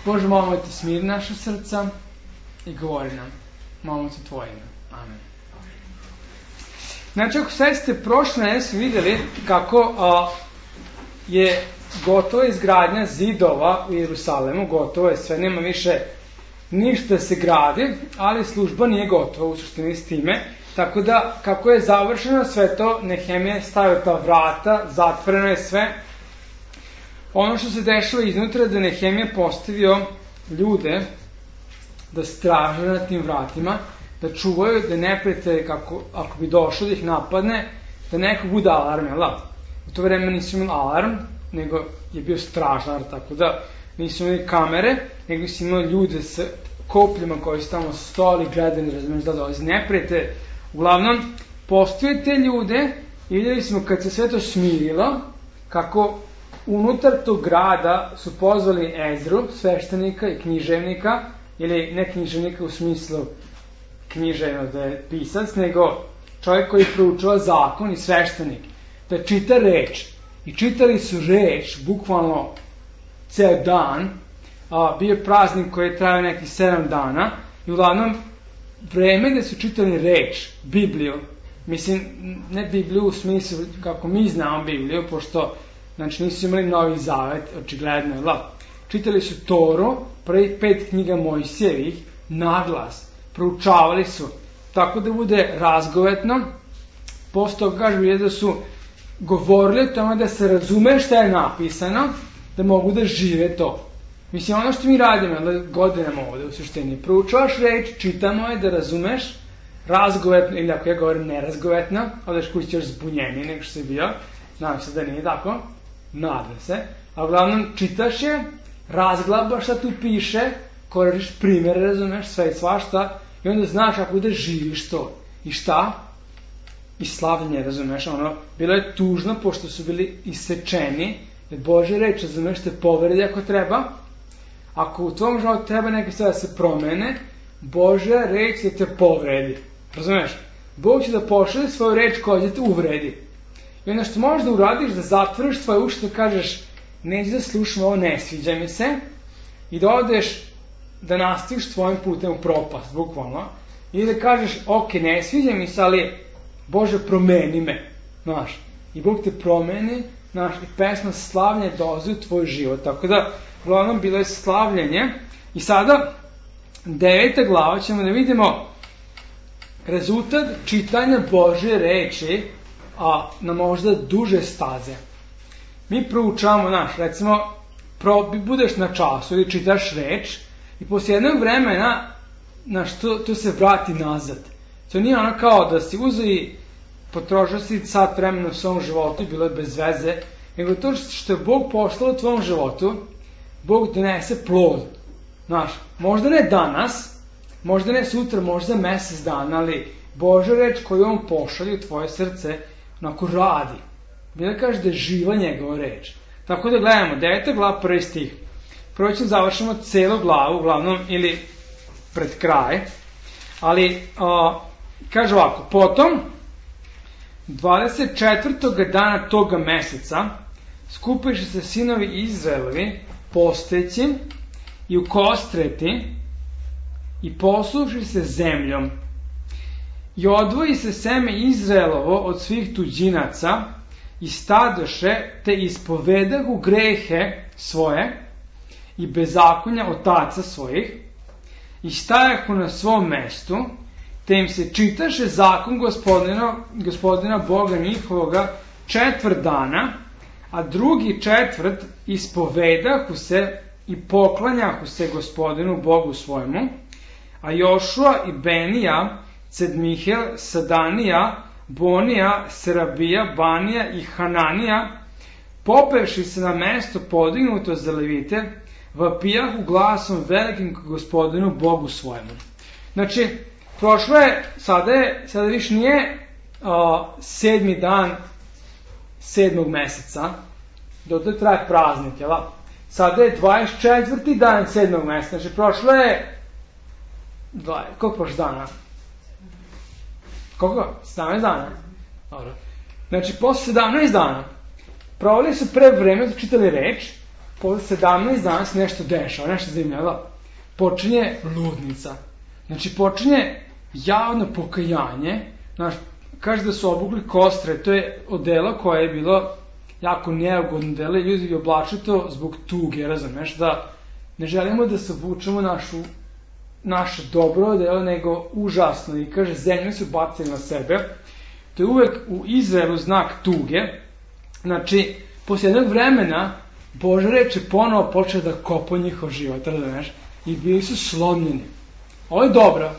Bože, molimo te, smiri naša srca i govori nam. Molimo te tvoje ime. Amen. Znači, ako sve ste prošle nedelje vidjeli kako je gotova izgradnja zidova u Jerusalemu, gotovo je sve, nema više ništa se gradi, ali služba nije gotova u suštini s time. Tako da, kako je završeno sve to, Nehemija stavio ta vrata, zatvoreno je sve. Ono što se dešava iznutra je da Nehemija postavio ljude da straže na tim vratima, da čuvaju, da neprijatelj, ako bi došlo da ih napadne, da neko bude alarm, jel da? U to vreme nisu imali alarm, nego je bio stražar, tako da nisu imali kamere, nego su imali ljude sa kopljima koji su tamo stoli, gledali, razumiješ da dolazi neprijatelj. Uglavnom, postoje te ljude i vidjeli smo kad se sve to smirilo, kako unutar tog grada su pozvali Ezru, sveštenika i književnika, ili ne književnika u smislu književno da je pisac, nego čovjek koji proučava zakon i sveštenik, da čita reč. I čitali su reč, bukvalno ceo dan, bio je praznik koji je trajao nekih 7 dana, i uglavnom vreme da su čitali reč, Bibliju, mislim, ne Bibliju u smislu kako mi znamo Bibliju, pošto znači nisu imali Novi Zavet, očigledno je la. Čitali su Toru, prvih 5 knjiga Mojsijevih, naglas, proučavali su, tako da bude razgovetno. Posle toga kažu da su govorili o tome da se razume šta je napisano, da mogu da žive to. Mislim, ono što mi radimo godinama ovde u suštini, proučavaš reč, čitamo je da razumeš, razgovetno, ili ako ja govorim nerazgovetno, odeš kući još zbunjeniji nego što si bio, nadam se da nije tako, nadam se, a uglavnom čitaš je, razglabaš šta tu piše, koristiš primjere, razumeš, sve i svašta, i onda znaš kako da živiš to. I šta? I slavljenje, razumeš, ono, bilo je tužno pošto su bili isečeni, jer Božja reč, razumeš, te povredi ako treba. Ako u tvom životu treba neke stvari da se promene, Božja reč će te povredi. Razumeš? Bog će da pošalje svoju reč koja će te uvredi. I onda što možeš da uradiš, da zatvoriš svoje uši, da kažeš, neću da slušam ovo, ne sviđa mi se, i da odeš da nastaviš tvojim putem u propast, bukvalno, i da kažeš, ok, ne sviđa mi se, ali Bože, promeni me, znaš. I Bog te promeni, znaš, i pesma slavljenje dolazi u tvoj život. Tako da, uglavnom, bilo je slavljenje. I sada, 9. glava, ćemo da vidimo rezultat čitanja Božje reči, a na možda duže staze. Mi proučavamo, znaš, recimo, budeš na času ili čitaš reč i poslije jednog vremena, znaš, to se vrati nazad. To nije ono kao da si uzeo i potrošio si sat vremena u svom životu i bilo je bez veze, nego to što je Bog poslao u tvom životu, Bog donese plod. Znaš, možda ne danas, možda ne sutra, možda mesec dana, ali Božja reč koju on pošalje u tvoje srce, onako radi. Bila kaže da je živa njegova reč. Tako da gledamo, 9. glava, 1. stih. Prvo ćemo završimo celu glavu, uglavnom, ili pred kraj. Ali, kaže ovako, potom, 24. dana toga meseca, skupiše se sinovi Izraelovi, posteći i ukostreti i posluši se zemljom. I odvoji se seme Izraelovo od svih tuđinaca i stadoše, te ispovedahu grehe svoje i bezakonja otaca svojih i stajahu na svom mestu, te im se čitaše zakon gospodina Boga njihovoga 4 dana, a drugi 4 ispovedahu se i poklanjahu se gospodinu Bogu svojemu, a Jošua i Benija, Cedmihel, Sadanija, Bonija, Serabija, Banija i Hananija, popevši se na mesto podignuto za levite, vapijahu glasom velikim k gospodinu Bogu svojemu. Znači, prošlo je, sada više nije 7. dan 7. meseca, dotle traje praznik, jel? Sada je 24. dan 7. meseca, znači prošlo je, koliko prošlo dana? Koliko? 17 dana? Dobro. Znači, posle 17 dana, provali su pre vreme, čitali reč, posle 17 dana se nešto dešava, nešto zanimljivo. Počinje ludnica. Znači, počinje javno pokajanje. Znaš, kaže da su obukli kostre, to je odelo koje je bilo jako neugodno delo i ljudi bi oblačili to zbog tuge, razumeš, da ne želimo da se obučemo naše dobro odelo, nego užasno. I kaže, zemlju su bacili na sebe. To je uvek u Izraelu znak tuge. Znači, posle jednog vremena Božja reč je ponovo počela da kopa njihov život, razumeš, i bili su slomljeni. Ovo je dobro.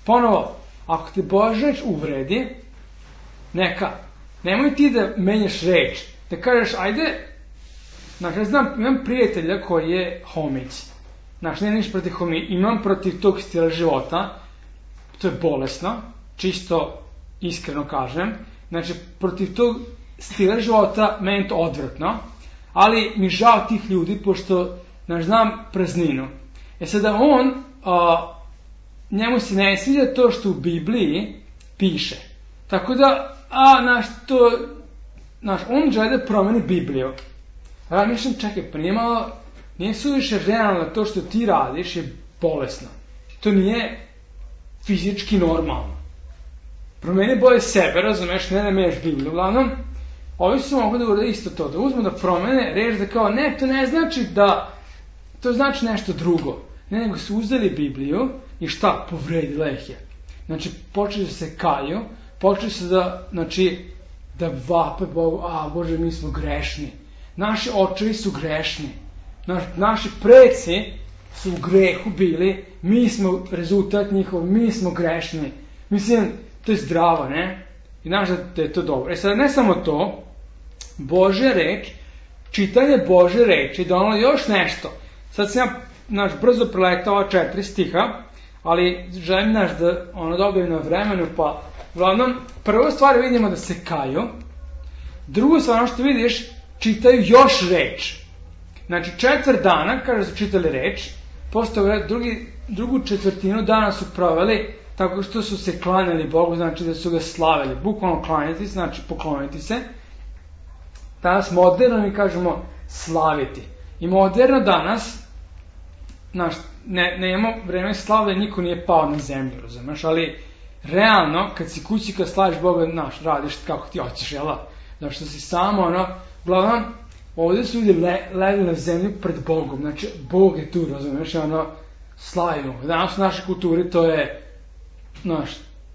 Ponovo, ako te Božja reč uvredi, neka. Nemoj ti da menjaš reč. Da kažeš, ajde, znači, ja znam, imam prijatelja koji je homić. Znači, ne niš protiv homić, imam protiv tog stila života. To je bolesno, čisto iskreno kažem. Znači, protiv tog stila života meni to odvratno, ali mi žao tih ljudi, pošto, znači, znam prazninu. Sada njemu se ne sviđa to što u Bibliji piše. Tako da, on žele da promeni Bibliju. Ja mislim, čekaj, pa nije suviše realno to što ti radiš je bolesno. To nije fizički normalno. Promeni bolje sebe, razumeš, ne da menjaš Bibliju. Uglavnom, ovi su mogli da urade isto to, da uzmu da promene, reći da kao, ne, to ne znači da, to znači nešto drugo. Ne, nego su uzeli Bibliju i šta? Povredila ih je. Znači, počeli se kaju, počeli se da, znači, da vape Bogu, Bože, mi smo grešni. Naši očevi su grešni. Naši preci su u grehu bili, mi smo rezultat njihov, mi smo grešni. Mislim, to je zdravo, ne? I znaš da je to dobro. Sada ne samo to, Božja reč, čitanje Božje reči, donalo još nešto. Sad sam ja brzo preletao ova 4 stiha, ali želim da dobijem na vremenu, pa uglavnom, prvu stvar vidimo da se kaju, drugu stvar što vidiš, čitaju još reč. Znači, 4 dana, kada su čitali reč, posle drugu četvrtinu dana su proveli tako što su se klanjali Bogu, znači da su ga slavili. Bukvalno klanjati, znači pokloniti se. Danas moderno mi kažemo slaviti. I moderno danas, ne imamo vreme slavlja, niko nije pao na zemlju, razumeš, ali realno, kad si kući, kad slaviš Boga, radiš kako ti hoćeš, jel? Znači što si samo, uglavnom, ovdje su ljudi legli na zemlju pred Bogom, znači Bog je tu, razumeš, slavimo. Danas u našoj kulturi to je,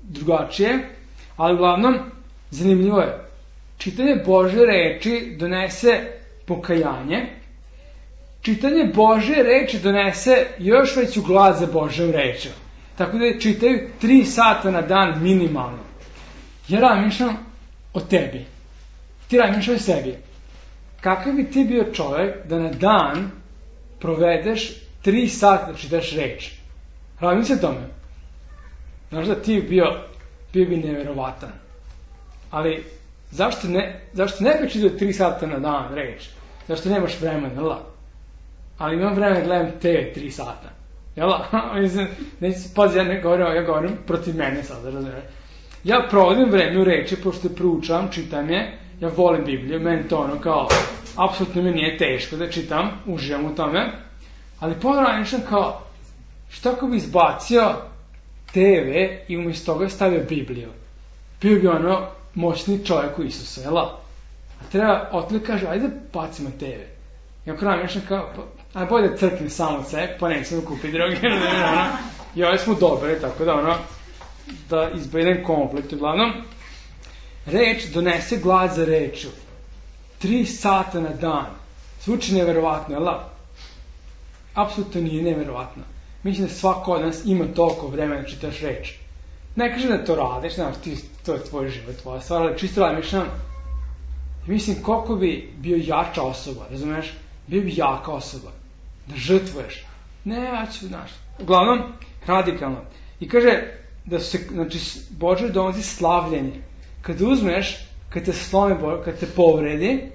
drugačije, ali uglavnom, zanimljivo je, čitanje Božje reči donese pokajanje, čitanje Božje reči donese još veću glad za Božjom rečom. Tako da čitaju 3 sata na dan minimalno. Ja razmišljam o tebi. Ti razmišljaj o sebi. Kakav bi ti bio čovjek da na dan provedeš 3 sata da čitaš reč? Razmišljaj o tome. Znaš da ti bio bi neverovatan. Ali zašto ne bi čitao 3 sata na dan reč? Zašto nemaš vremena, ali imam vremena da gledam TV 3 sata. Pazi, ja govorim protiv mene sada, razumiješ. Ja provodim vreme u reči, pošto proučavam, čitam je, ja volim Bibliju, meni to kao, apsolutno mi nije teško da čitam, uživam u tome, ali ponovno kao, što ako bi izbacio TV i umjesto toga stavio Bibliju? Bio bi moćni čovjek u Isusu, jel? A treba, otlik kaže, ajde bacimo TV. I ako razmišljam kao, aj bolje da crkne samo od sebe, pa nećemo kupiti drugi. I ovdje smo dobri, tako da da izbedem konflikt. Uglavnom, reč donese glad za reču. 3 sata na dan. Zvuči neverovatno, jel? Apsolutno nije neverovatno. Mislim da svako od nas ima toliko vremena da čitaš reč. Ne kažem da to radiš, to je tvoj život, tvoja stvar, ali čisto razmišljam. Mislim koliko bi bio jača osoba, razumiješ? Bio bi jaka osoba. Da žrtvuješ. Ne, ja ću, uglavnom, radikalno. I kaže da se, Bože donosi slavljenje. Kad uzmeš, kad te slomi, kad te povredi,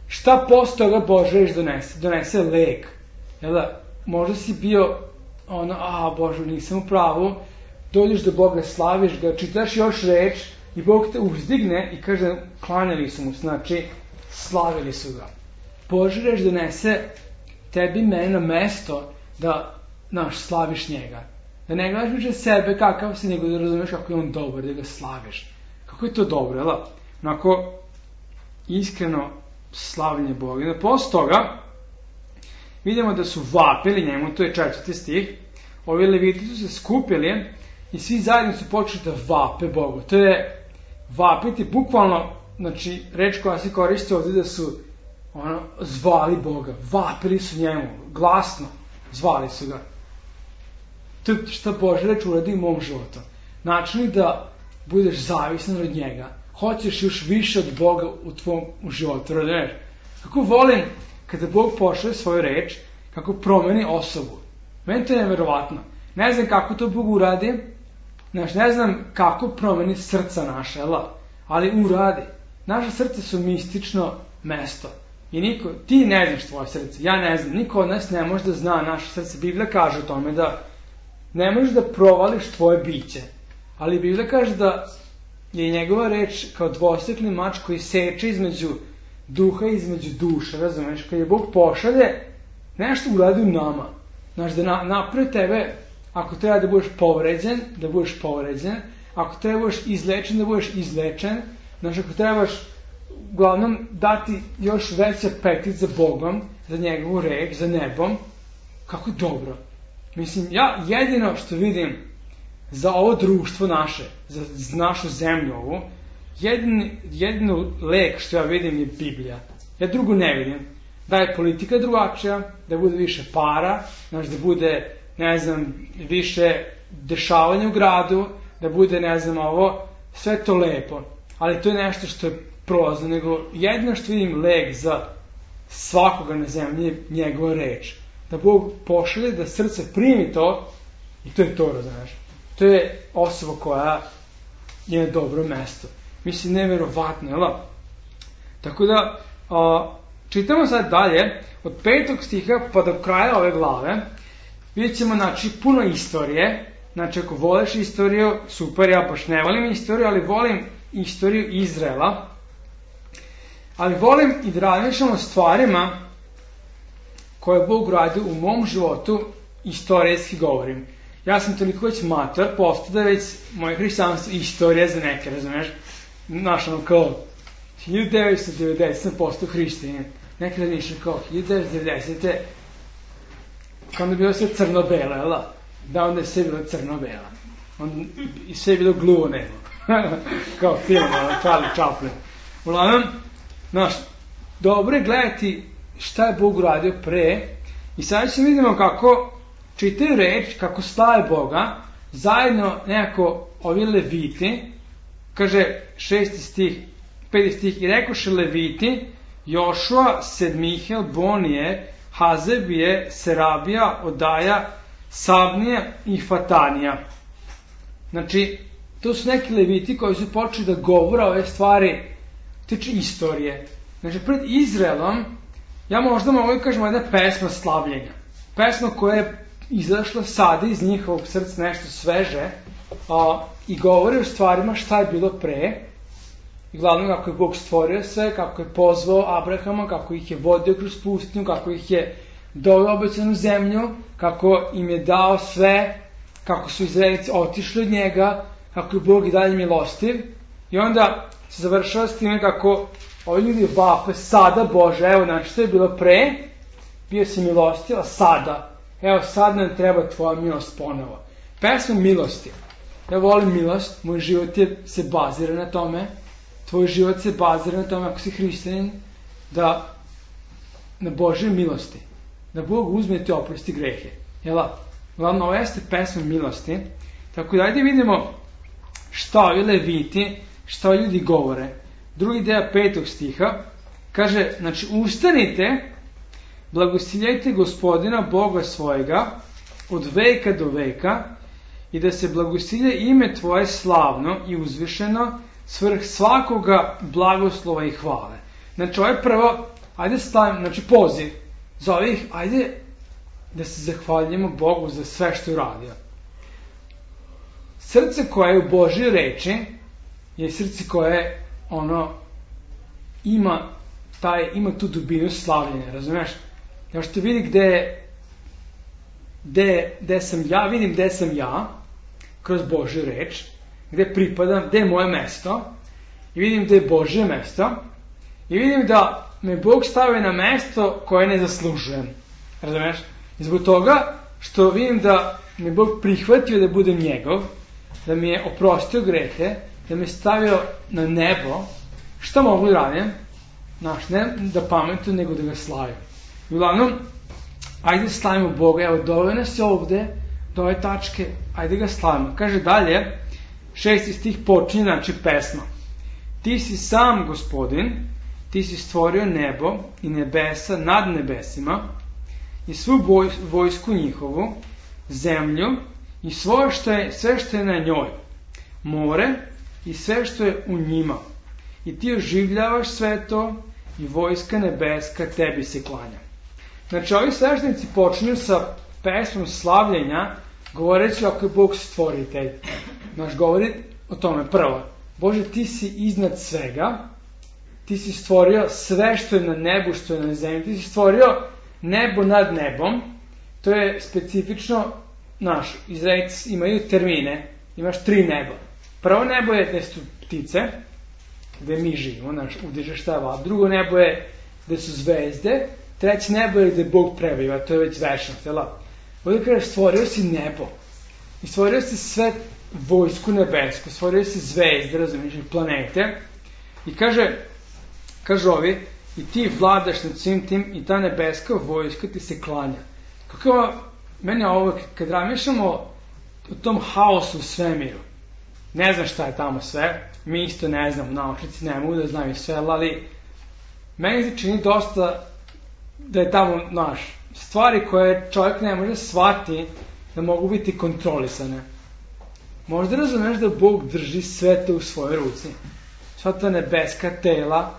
šta posle toga Bože reč donese? Donese lek. Jel da, možda si bio Bože, nisam u pravu, dođeš do Boga, slaviš ga, čitaš još reč i Bog te uzdigne i kaže, klanjali su mu, znači, slavili su ga. Bože reč donese tebi mene na mesto da slaviš njega. Da ne gledaš više sebe kakav si, nego da razumeš kako je on dobar, da ga slaviš. Kako je to dobro, jel? Onako, iskreno slavljenje Boga. I posle toga, vidimo da su vapili njemu, to je 4. stih, ovi leviti su se skupili i svi zajedno su počeli da vape Bogu. To je vapiti, bukvalno, znači, reč koja se koristi ovdje da su zvali Boga, vapili su njemu, glasno, zvali su ga. To je šta Božja reč uradi u mom životu. Način da budeš zavisan od njega, hoćeš još više od Boga u tvom životu, razumiješ? Kako volim kada Bog pošalje svoju reč, kako promeni osobu. Meni to je neverovatno. Ne znam kako to Bog uradi, ne znam kako promeni srca naše, ali uradi. Naše srce su mistično mesto. I ti ne znaš tvoje srce, ja ne znam, niko od nas ne može da zna naše srce. Biblija kaže o tome da ne možeš da provališ tvoje biće, ali Biblija kaže da je njegova reč kao dvosjekli mač koji seče između duha i između duše, razumeš? Kad je Bog pošalje, nešto uradi u nama. Znaš, da napravi tebe, ako treba da budeš povređen, da budeš povređen, ako treba da budeš izlečen, da budeš izlečen, znaš, ako trebaš uglavnom dati još veći apetit za Bogom, za njegovu reč, za nebom, kako dobro. Mislim, ja jedino što vidim za ovo društvo naše, za našu zemlju ovu, jedino lek što ja vidim je Biblija. Ja drugo ne vidim. Da je politika drugačija, da bude više para, znaš, da bude, ne znam, više dešavanja u gradu, da bude, ne znam, ovo, sve to lepo. Ali to je nešto što je prolazno, nego jedino što vidim lek za svakoga na zemlji je njegova reč. Da Bog pošalje, da srce primi to i to je to, razumiješ. To je osoba koja je na dobro mesto. Mislim, neverovatno, jel? Tako da, čitamo sad dalje, od 5. stiha pa do kraja ove glave, vidjet ćemo, znači, puno istorije. Znači, ako voliš istoriju, super, ja baš ne volim istoriju, ali volim istoriju Izraela. Ali volim i da razmišljam o stvarima koje Bog radi u mom životu, istorijski govorim. Ja sam toliko već mator, postao da već moje hrišćanstvo istorija za neke, razumiješ? Znaš, ono kao 1990 sam postao hrišćanin. Nekada nišao kao 1990. Kada je bilo sve crno-belo, jel? Da, onda je sve bilo crno-belo. I sve je bilo gluvo-nebo. Kao film, Charlie Chaplin. Uglavnom, znaš, dobro je gledati šta je Bog uradio pre i sad ćemo vidimo kako čitaju reč, kako slave Boga, zajedno nekako ovi leviti, kaže 6. stih, 5. stih, i rekoše leviti, Jošua, Sedmihel, Bonije, Hazebije, Serabija, Odaja, Sabnije i Fatanija. Znači, to su neki leviti koji su počeli da govore ove stvari tiče istorije. Znači, pred Izraelom, ja možda mogu da kažem jedna pesma slavljenja. Pesma koja je izašla sada iz njihovog srca, nešto sveže, i govori o stvarima šta je bilo pre, i glavno kako je Bog stvorio sve, kako je pozvao Abrahama, kako ih je vodio kroz pustinju, kako ih je doveo u obećanu zemlju, kako im je dao sve, kako su Izraelici otišli od njega, kako je Bog i dalje milostiv. I onda se završava s time kako ovi ljudi vape sada, Bože, evo, znači što je bilo pre, bio si milostiv, a sada, evo, sad nam treba tvoja milost ponovo. Pesma milosti. Ja volim milost, moj život se bazira na tome, tvoj život se bazira na tome, ako si hrišćanin, da na Božje milosti, da Bog uzme te oprosti grehe. Jela, glavno, ovo jeste pesma milosti, tako da ajde vidimo šta ovi leviti, šta ljudi govore. Drugi deo 5. stiha kaže, znači, ustanite, blagosiljajte Gospodina Boga svojega od veka do veka i da se blagosilje ime tvoje slavno i uzvišeno svrh svakoga blagoslova i hvale. Znači, ovo je prvo, ajde stavim, znači, poziv za ovih, ajde da se zahvaljujemo Bogu za sve što je uradio. Srce koje je u Božjoj reči je srce koje ima tu dubinu slavljenja, razumiješ? Kao što vidi gde sam ja, vidim gde sam ja, kroz Božju reč, gde pripadam, gde je moje mesto, i vidim gde je Božje mesto, i vidim da me Bog stavio na mesto koje ne zaslužujem. Razumeš? I zbog toga što vidim da me Bog prihvatio da budem njegov, da mi je oprostio grehe, da me stavio na nebo, šta mogu da radim? Znaš, ne da pametujem, nego da ga slavim. I uglavnom, ajde slavimo Boga, evo doveo nas je ovde, do ove tačke, ajde ga slavimo. Kaže dalje, 6. stih počinje, znači pesma. Ti si sam Gospodin, ti si stvorio nebo i nebesa nad nebesima i svu vojsku njihovu, zemlju i sve što je na njoj, more i sve što je u njima. I ti oživljavaš sve to i vojska nebeska tebi se klanja. Znači, ovi sveštenici počinju sa pesmom slavljenja, govoreći ako je Bog stvoritelj. Znači, govori o tome prvo. Bože, ti si iznad svega, ti si stvorio sve što je na nebu, što je na zemlji, ti si stvorio nebo nad nebom. To je specifično, Izraelci imaju termine, imaš 3 neba. Prvo nebo je gde su ptice, gde mi živimo, udižeš šta je vlad. Drugo nebo je gde su zvezde, treće nebo je gde Bog prebiva, to je već večnost, jel? Ovdje kaže, stvorio si nebo i stvorio si sve vojsku nebesku, stvorio si zvezde, razumiješ, i planete, i kaže ovi, i ti vladaš nad svim tim i ta nebeska vojska ti se klanja. Kako mene ovo, kad razmišljamo o tom haosu u svemiru, ne znam šta je tamo sve, mi isto ne znamo, naučnici ne mogu da znaju sve, ali meni se čini dosta da je tamo, stvari koje čovjek ne može shvatiti da mogu biti kontrolisane. Možda razumeš da Bog drži sve to u svojoj ruci. Sva ta nebeska tela,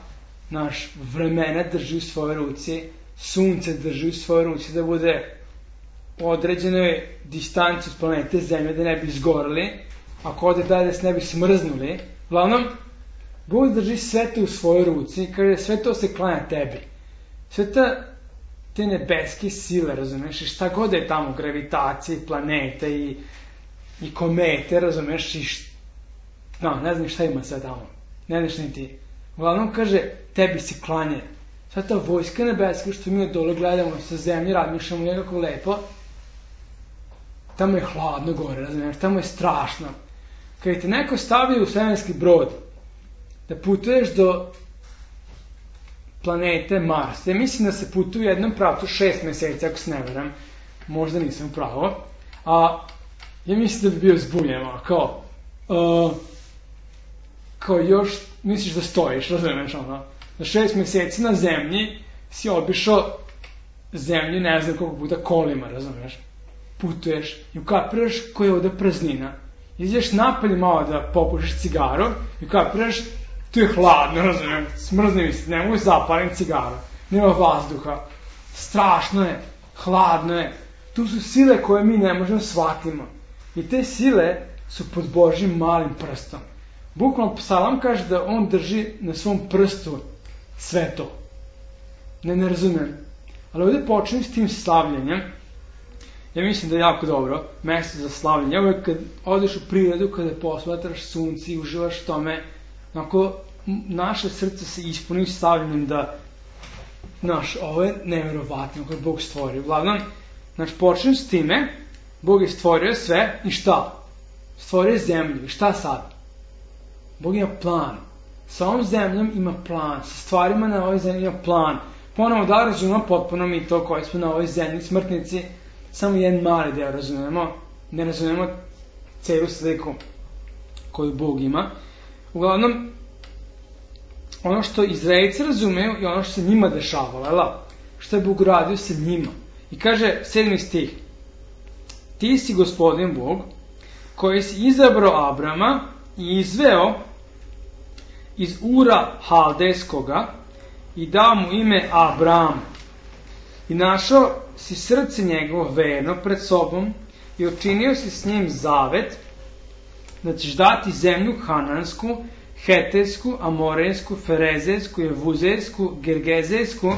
vremena drži u svojoj ruci, sunce drži u svojoj ruci, da bude u određenoj distanci od planete Zemlje, da ne bi izgorili, ako ode dalje da se ne bi smrznuli. Uglavnom, Bog drži sve to u svojoj ruci i kaže sve to se klanja tebi. Sve te nebeske sile, razumeš, i šta god je tamo, gravitacije, planete i komete, razumeš, i ne znam šta ima sve tamo, ne znaš ni ti. Uglavnom kaže, tebi se klanje. Sva ta vojska nebeska što mi dole gledamo sa zemlje, razmišljamo nekako lepo, tamo je hladno gore, razumeš, tamo je strašno. Kad te neko stavi u svemirski brod, da putuješ do planete Mars, ja mislim da se putuje u jednom pravcu 6 meseci, ako se ne veram, možda nisam u pravo, a ja mislim da bi bio zbunjen, kao još misliš da stojiš, razumeš, na 6 meseci na zemlji si obišao zemlju, ne znam koliko puta kolima, razumeš, putuješ i ukapiraš koja je ovdje praznina. Izdješ napolje malo da popušiš cigaru i ukapiraš, tu je hladno, razumem, smrzne mi se, ne mogu zapalim cigaru, nema vazduha, strašno je, hladno je, tu su sile koje mi ne možemo shvatimo i te sile su pod Božjim malim prstom. Bukvalno Psalam kaže da on drži na svom prstu sve to. Ne razumem. Ali ovdje počnem s tim slavljenjem. Ja mislim da je jako dobro mesto za slavljenje. Ovo je kad odeš u prirodu, kada posmatraš sunce i uživaš tome, ako naše srce se ispuni slavljenjem da, ovo je nevjerovatno kada Bog stvori. Uglavnom, počnem s time, Bog je stvorio sve i šta? Stvorio je zemlju i šta sad? Bog ima plan. Sa ovom zemljom ima plan. Sa stvarima na ovoj zemlji ima plan. Ponovo da razumemo potpuno mi to koji smo na ovoj zemlji smrtnici, samo jedan mali deo razumemo. Ne razumemo celu sliku koju Bog ima. Uglavnom, ono što Izraelci razumeju i ono što se njima dešavalo, što je Bog radio sa njima. I kaže 7. stih, ti si Gospodin Bog koji si izabrao Abrama i izveo iz Ura Haldejskoga i dao mu ime Abram. I našao si srce njegovo verno pred sobom i učinio si s njim zavet da ćeš dati zemlju Hanansku, Hetejsku, Amorejsku, Ferezejsku, Jevuzejsku, Gergezejsku,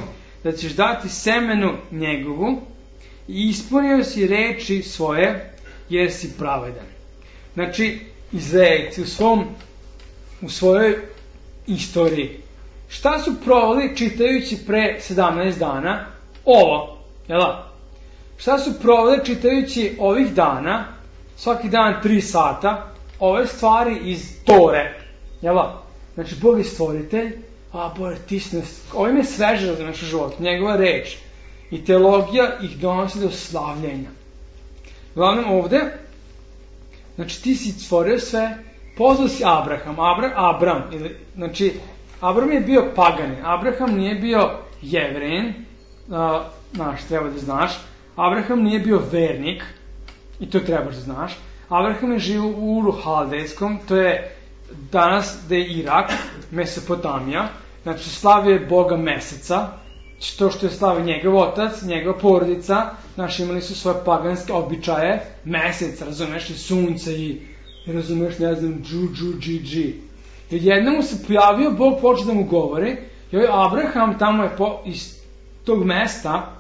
da ćeš dati semenu njegovu i ispunio si reči svoje, jer si pravedan. Znači, Izraelci u svojoj istoriji, šta su proveli čitajući pre 17 dana? Ovo, jel da? Šta su proveli čitajući ovih dana, svaki dan 3 sata, ove stvari iz Tore, jel da? Znači, Bog je stvoritelj, Bože, ti si nas, ovim je sveže za naš život, njegova reč i teologija ih donosi do slavljenja. Uglavnom ovde, znači ti si stvorio sve, pozvao si Abram, znači Abram je bio paganin, Abraham nije bio Jevrein, treba da znaš, Abraham nije bio vernik, i to trebaš da znaš, Abraham je živio u Uru Haldejskom, to je danas da je Irak, Mesopotamija, znači slavio je Boga meseca, to što je slavio njegov otac, njegova porodica, znači imali su svoje paganske običaje, mesec, razumeš, i sunce i razumeš, ne znam, dži. I jednom mu se pojavio, Bog počeo da mu govori, i ovaj Abraham tamo je iz tog mesta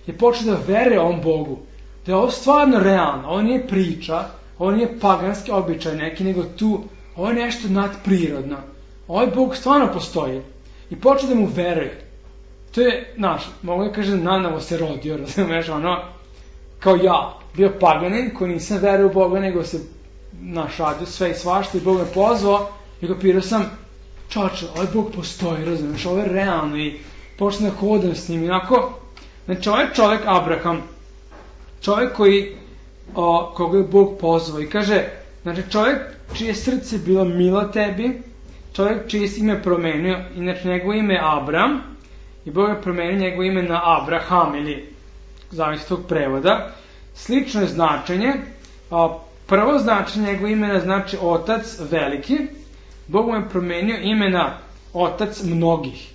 je počeo da veruje ovom Bogu, da je ovo stvarno realno, ovo nije priča, ovo nije paganski običaj neki, nego tu, ovo je nešto nadprirodno, ovaj Bog stvarno postoji i počeo da mu veruje. To je, mogu da kažem, nanovo se rodio, razumeš, kao ja, bio paganin koji nisam veruo u Boga, nego se radio sve i svašta i Bog me pozvao i kopirao sam, čača, ovaj Bog postoji, razumeš, ovo je realno i počeo da hodam s njim, inako, znači ovaj čovjek Abraham, čovjek koga je Bog pozvao i kaže, znači čovjek čije srce bilo milo tebi, čovjek čije se ime promenio, inače njegovo ime je Abram, i Bog je promenio njegovo ime na Abraham, ili zavisi tog prevoda. Slično je značenje. Prvo značenje njegovo imena znači otac veliki. Bog mu je promenio imena otac mnogih.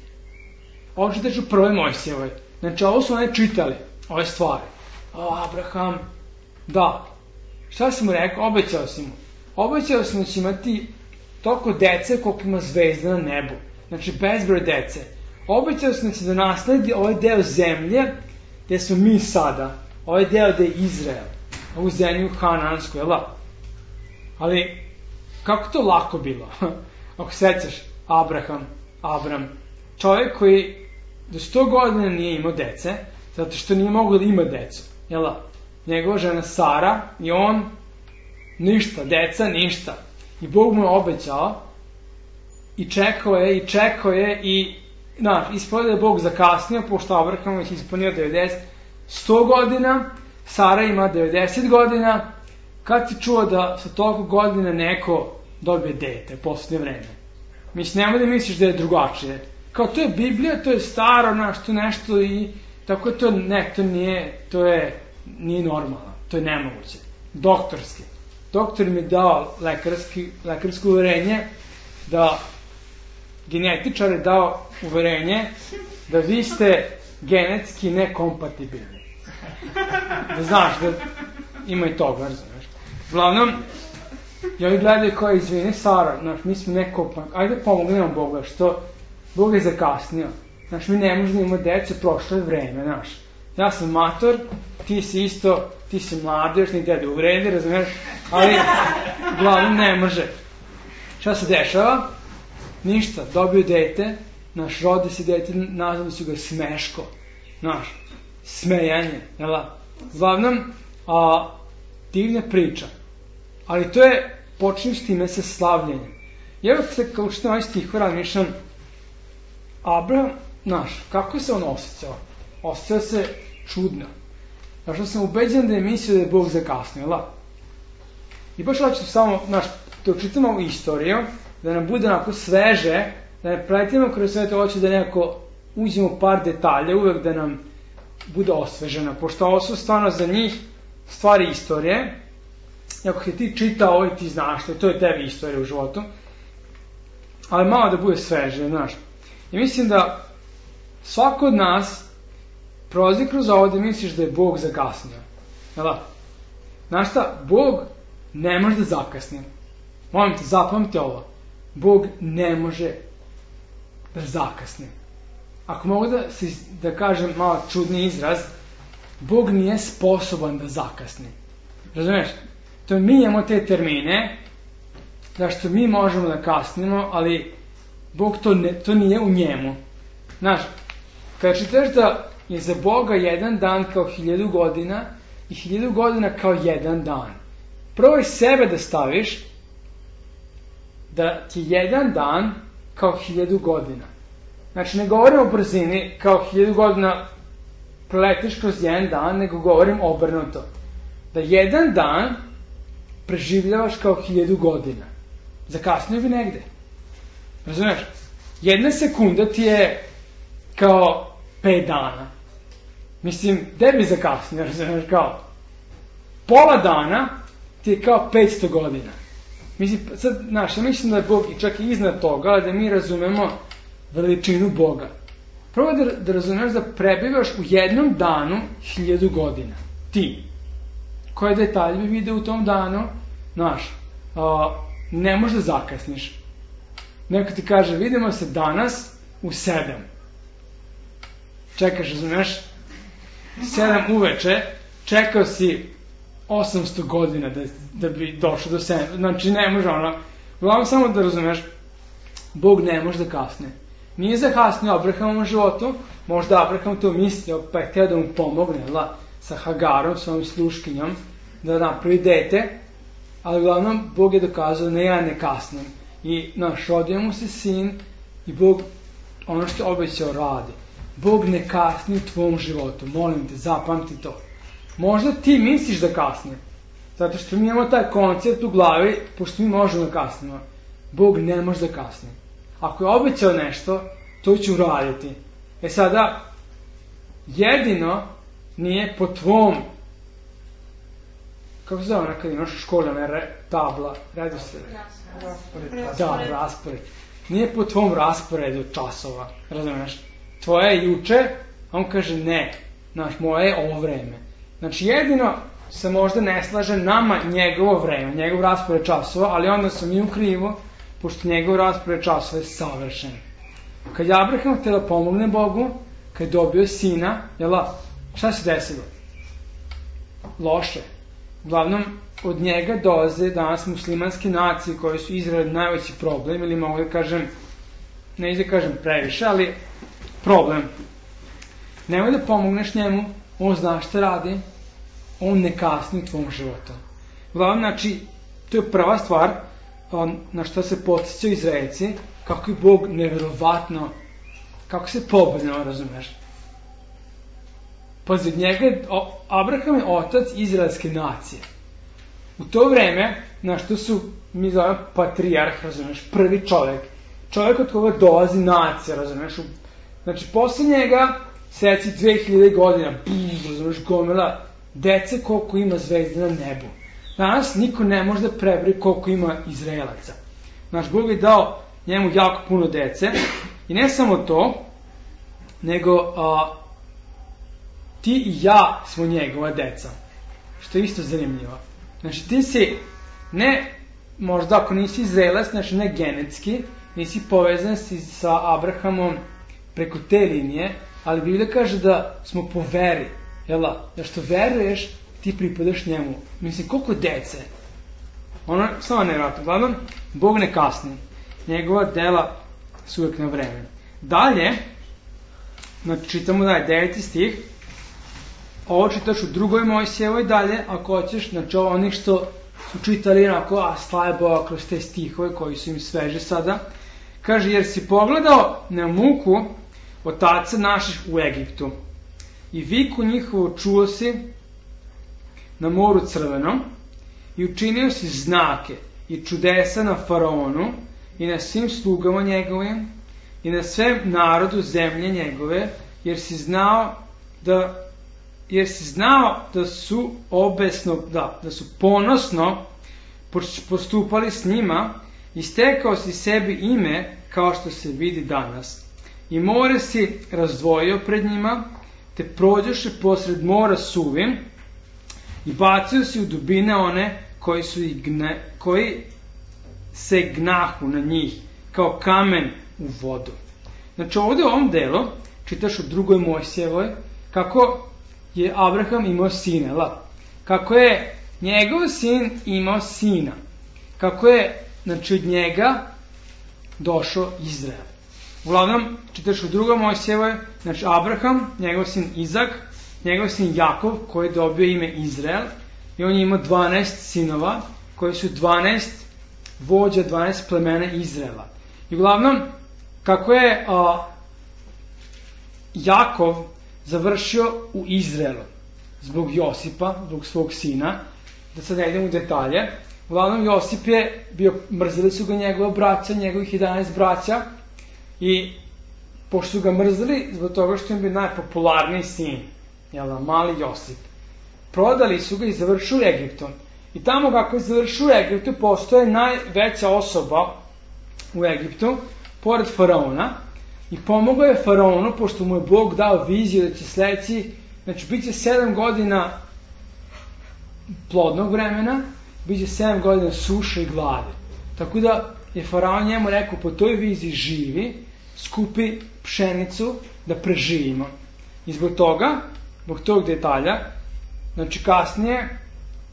Ovo čitaš u prvoj Mojsijevoj. Znači ovo su one čitali, ove stvari. Abraham, da. Šta si mu rekao? Obećao si mu. Obećao si mu da će imati toliko dece koliko ima zvezda na nebu. Znači bezbroj dece. Obećao sam se da nasledi ovaj deo zemlje gde smo mi sada, ovaj deo gde je Izrael, ovu zemlju Hanansku, jel da? Ali, kako to lako bilo? Ako sećaš, Abram, čovjek koji do 100 godina nije imao dece, zato što nije mogao da ima decu, jel da? Njegova žena Sara i on, ništa, deca, ništa. I Bog mu je obećao i čekao je i ispod je Bog zakasnio, pošto Abraham je ispunio 100 godina, Sara ima 90 godina, kad si čuo da sa toliko godina neko dobije dete, posljednje vreme? Mislim, nemoj da misliš da je drugačije. Kao, to je Biblija, to je staro, to nešto i tako je to, nije normalno, to je nemoguće. Doktorski. Doktor mi je dao lekarsko uverenje da genetičar je dao uverenje da vi ste genetski nekompatibilni. Da znaš da ima i toga, znaš. Uglavnom, i ovi gledaju kao, izvini Sara, mi smo nekompatibilni, ajde pomognemo Boga, što Bog je zakasnio. Znaš, mi ne možemo imati decu, prošlo je vreme, znaš. Ja sam mator, ti si isto, ti si mlad, još ni tebe uvredi, razumiješ, ali uglavnom ne može. Šta se dešava? Ništa, dobio dete, rodi se dete, nazvali su ga Smeško, smejanje, jel da? Uglavnom, divna priča, ali to je, počinju s time sa slavljenjem. I evo se, kao što ovaj stih razmišljam, Abraham, kako se on osjećao? Osjećao se čudno. Zašto sam ubeđen da je mislio da je Bog zakasnio, jel da? I baš hoću samo, da učitamo istoriju, da nam bude onako sveže, da ne pretimo kroz sve to, hoću da nekako uđemo par detalja, uvek da nam bude osveženo, pošto ovo su stvarno za njih stvari istorije, i ako je ti čitao ovo i ti znaš, to je tebi istorija u životu, ali malo da bude sveže, znaš. I mislim da svako od nas prolazi kroz ovo da misliš da je Bog zakasnio, jel da? Znaš šta, Bog ne može da zakasni. Molim te, zapamti ovo. Bog ne može da zakasni. ako mogu da kažem malo čudni izraz, Bog nije sposoban da zakasni. Razumeš? To mi imamo te termine, zašto mi možemo da kasnimo, ali Bog to nije u njemu. Znaš, kada čitaš da je za Boga jedan dan kao 1000 godina i 1000 godina kao jedan dan. Probaj sebe da staviš da ti jedan dan kao 1000 godina. Znači, ne govorim o brzini kao 1000 godina preletiš kroz jedan dan, nego govorim obrnuto. Da jedan dan preživljavaš kao 1000 godina. Zakasnio bi negde. Razumeš? Jedna sekunda ti je kao 5 dana. Mislim, gde bi zakasnio, razumeš, kao pola dana ti je kao 500 godina. Mislim, sad, znaš, ja mislim da je Bog i čak i iznad toga, da mi razumemo veličinu Boga. Probaj da razumeš da prebivaš u jednom danu 1000 godina. Ti. Koje detalje bi vidio u tom danu? Znaš, ne možeš da zakasniš. Neko ti kaže, vidimo se danas u 7. Čekaš, razumeš? 7 uveče, čekao si 800 godina da bi došao do 7. Znači, ne može ono. Uglavnom, samo da razumeš, Bog ne može da kasne. Nije zakasnio Abrahamovom životu, možda Abraham to mislio, pa je htio da mu pomogne, sa Hagarom, svojom sluškinjom, da napravi dete, ali uglavnom Bog je dokazao da ja ne kasnim. I rodio mu se sin i Bog ono što je obećao radi. Bog ne kasni u tvom životu, molim te, zapamti to. Možda ti misliš da kasni, zato što mi imamo taj koncept u glavi, pošto mi možemo da kasnimo. Bog ne može da kasni. Ako je obećao nešto, to će uraditi. Sada, jedino nije po tvom, kako se zove ona kad imaš u školi, tabla, radi se. Raspored. Nije po tvom rasporedu časova, razumeš? Tvoje je juče, a on kaže ne, moje je ovo vreme. Znači, jedino se možda ne slaže nama njegovo vreme, njegov raspored časova, ali onda su mi u krivu, pošto njegov raspored časova je savršen. Kad je Abraham htio da pomogne Bogu, kad je dobio sina, šta se desilo? Loše. Uglavnom, od njega dolaze danas muslimanske nacije koje su Izrael najveći problem, ili mogu da kažem, ne da kažem previše, ali problem. Nemoj da pomogneš njemu, on zna šta radi, on ne kasni u tvom životu. Uglavnom, znači, to je prva stvar na što se podsjećaju Izraelci, kako je Bog nevjerovatno, kako se pobrnuo, razumeš? Pazi, Abraham je otac izraelske nacije. U to vreme, to su, mi zovemo patrijarh, razumeš, prvi čovjek od koga dolazi nacija, razumeš? Znači, posle njega, seci 2000 godina, razumeš, gomila dece koliko ima zvezde na nebu. Danas niko ne može da prebri koliko ima Izraelaca. Bog je dao njemu jako puno dece i ne samo to, nego ti i ja smo njegova deca. Što je isto zanimljivo. Znači, ti si, ne, možda ako nisi Izraelac, znači ne genetski, nisi povezan sa Abrahamom preko te linije, ali Biblija kaže da smo po veri. Da što veruješ, ti pripadaš njemu. Mislim, koliko dece? Ono, samo nevjerojatno. Uglavnom, Bog ne kasni. Njegova dela su uvijek na vreme. Dalje, znači čitamo dalje, 9. stih. Ovo čitaš u 2. Mojsijevoj dalje, ako hoćeš, znači onih što su čitali onako, slaje Boga kroz te stihove koji su im sveže sada. Kaže, jer si pogledao na muku otaca naših u Egiptu i viku njihovu čuo si na moru Crvenom i učinio si znake i čudesa na faraonu i na svim slugama njegovim i na svem narodu zemlje njegove, jer si znao da su da su ponosno postupali s njima i stekao si sebi ime kao što se vidi danas. I more si razdvojio pred njima, te prođoše posred mora suvim i bacio si u dubine one koji se gnahu na njih, kao kamen u vodu. Znači ovdje u ovom delu čitaš u 2. Mojsijevoj, kako je Abraham imao sina, kako je njegov sin imao sina, kako je, znači, od njega došao Izrael. Uglavnom, čitaš u 2. Mojsijevoj, znači Abraham, njegov sin Izak, njegov sin Jakov, koji je dobio ime Izrael, i on je imao 12 sinova, koji su 12 vođa, 12 plemena Izraela. I uglavnom, kako je Jakov završio u Izraelu, zbog Josipa, zbog svog sina, da sad ne idem u detalje, uglavnom Josip je bio, mrzili su ga njegova braća, njegovih 11 braća, i pošto su ga mrzili, zbog toga što im bio najpopularniji sin, mali Josip, prodali su ga i završili u Egiptu. I tamo kako je završio u Egiptu, postoje najveća osoba u Egiptu, pored faraona, i pomogao je faraonu, pošto mu je Bog dao viziju da će sledeći, znači bit će 7 godina plodnog vremena, bit će 7 godina suše i glade. Tako da je faraon njemu rekao, po toj viziji živi, skupi pšenicu da preživimo. I zbog toga, zbog tog detalja, znači kasnije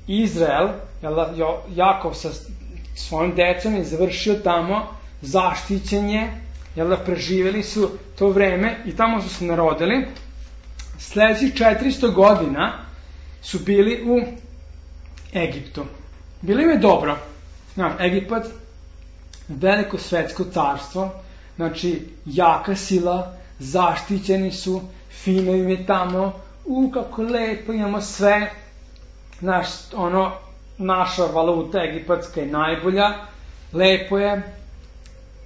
Izrael, Jakov sa svojim decom je završio tamo, zaštićen je, preživjeli su to vreme i tamo su se narodili. Sledećih 400 godina su bili u Egiptu. Bilo im je dobro. Egipat, veliko svetsko carstvo, znači jaka sila, zaštićeni su, fino im je tamo, kako lepo, imamo sve, naša valuta egipatska je najbolja, lepo je.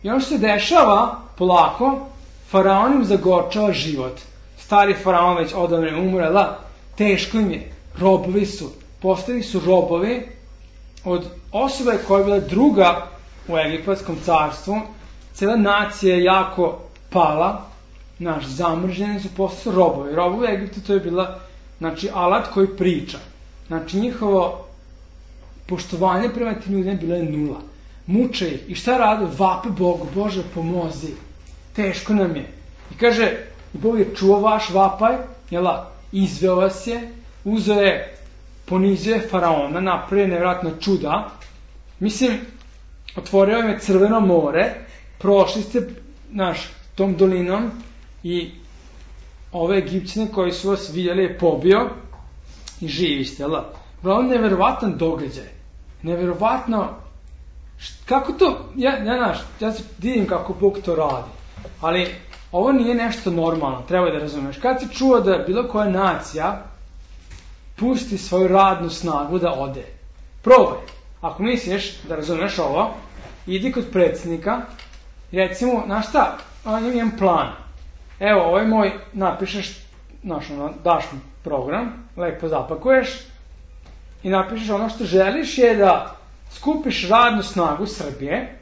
I ono što se dešava, polako, faraon im zagorčava život. Stari faraon već odavno je umrela, teško im je, robovi su, postali su robovi od osobe koja je bila druga u egipatskom carstvu, cela nacija je jako pala, zamrženi su, postali robovi. Robovi u Egiptu to je bila, alat koji priča. Njihovo poštovanje prema tim ljudima bilo je nula. Muče ih. I šta rade? Vape Bogu, Bože pomozi. Teško nam je. I kaže, Bog je čuo vaš vapaj, izveo vas je, uzeo je, ponizio je faraona, napravio nevjerojatno čuda. Mislim, otvorio je Crveno more, prošli ste tom dolinom i ove Egipćane koji su vas vidjeli je pobio i živi ste, Uglavnom, nevjerovatan događaj. Nevjerovatno, kako to, ja se divim kako Bog to radi, ali ovo nije nešto normalno, treba da razumeš. Kad si čuo da bilo koja nacija pusti svoju radnu snagu da ode, probaj. Ako misliš da razumeš ovo, idi kod predsjednika i recimo, šta, imam plan. Evo, ovaj moj, napišeš, daš mu program, lepo zapakuješ i napišeš ono što želiš je da skupiš radnu snagu Srbije,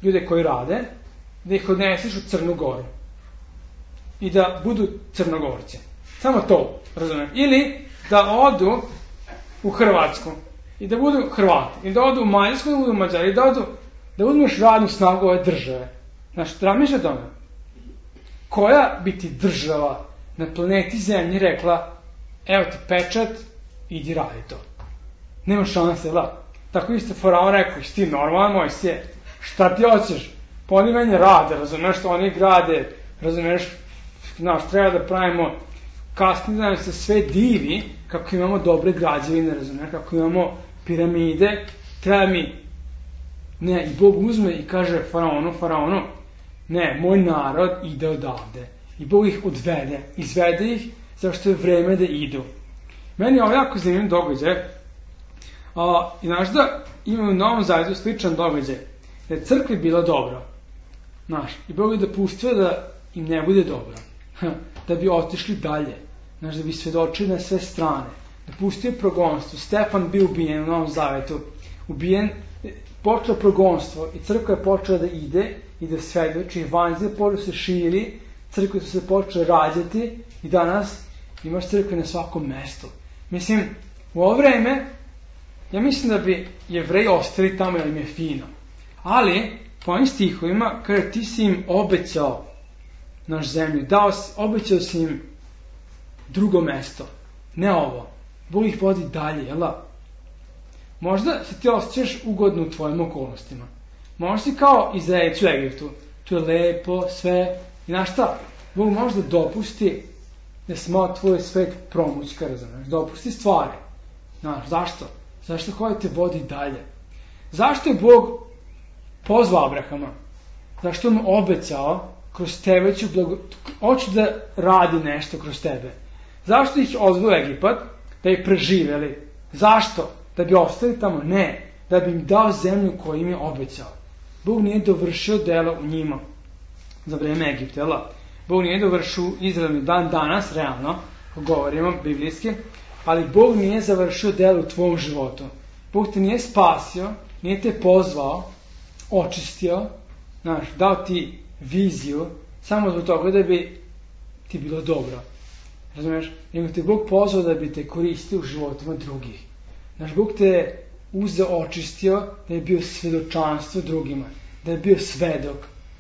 ljude koji rade, da ih odneseš u Crnu Goru i da budu Crnogorci. Samo to, razumem. Ili da odu u Hrvatsku i da budu Hrvati, i da odu u Mađarsku, da budu Mađari, i da uzmeš radnu snagu ove države. Razmišljaj o tome. Koja bi ti država na planeti Zemlji rekla, evo ti pečat, idi radi to. Nema šanse, Tako isto faraon rekao, ti normalan Mojsije, šta ti hoćeš? Pa oni meni rade, razumeš, oni grade, razumeš, treba da pravimo, kasnije da nam se sve divi kako imamo dobre građevine, razumeš, kako imamo piramide, treba mi, ne, i Bog uzme i kaže faraonu, ne, moj narod ide odavde. I Bog ih odvede, izvede ih, zašto je vreme da idu. Meni je ovo jako zanimljiv događaj. I znaš da imamo u Novom Zavetu sličan događaj, da je crkvi bilo dobro, i Bog je dopustio da im ne bude dobro, da bi otišli dalje, da bi svedočili na sve strane, dopustio je progonstvo. Stefan bio ubijen u Novom Zavetu, ubijen, počeo progonstvo i crkva je počela da ide i da svedoči, evanđelje počeo se širi, crkve su se počele rađati i danas imaš crkve na svakom mestu. Mislim, u ovo vreme, ja mislim da bi Jevreji ostali tamo jer im je fino. Ali, po ovim stihovima, kaže ti si im obećao naš zemlju, obećao si im drugo mesto, ne ovo. Bog ih vodi dalje, jel da? Možda se ti osjećaš ugodno u tvojim okolnostima. Možda si kao Izraelci u Egiptu. Tu je lepo, sve. I znaš šta? Bog možda dopusti da se malo tvoj svet promućka, razumiješ? Dopusti stvari. Znaš, zašto? Zašto koja te vodi dalje? Zašto je Bog pozvao Abrahama? Zašto mu obećao kroz tebe hoću da radi nešto kroz tebe? Zašto ih odveo u Egipat? Da ih preživeli. Zašto? Da bi ostali tamo? Ne. Da bi im dao zemlju koju im je obećao. Bog nije dovršio delo u njima za vreme Egipta, jel? Bog nije dovršio Izrael dan danas, realno, ako govorimo biblijski, ali Bog nije završio delo u tvom životu. Bog te nije spasio, nije te pozvao, očistio, znaš, dao ti viziju, samo zbog toga da bi ti bilo dobro. Razumiješ? Nego te Bog pozvao da bi te koristio u životima drugih. Znaš, Bog te uzeo, očistio, da je bio svedočanstvo drugima, da je bio svedok.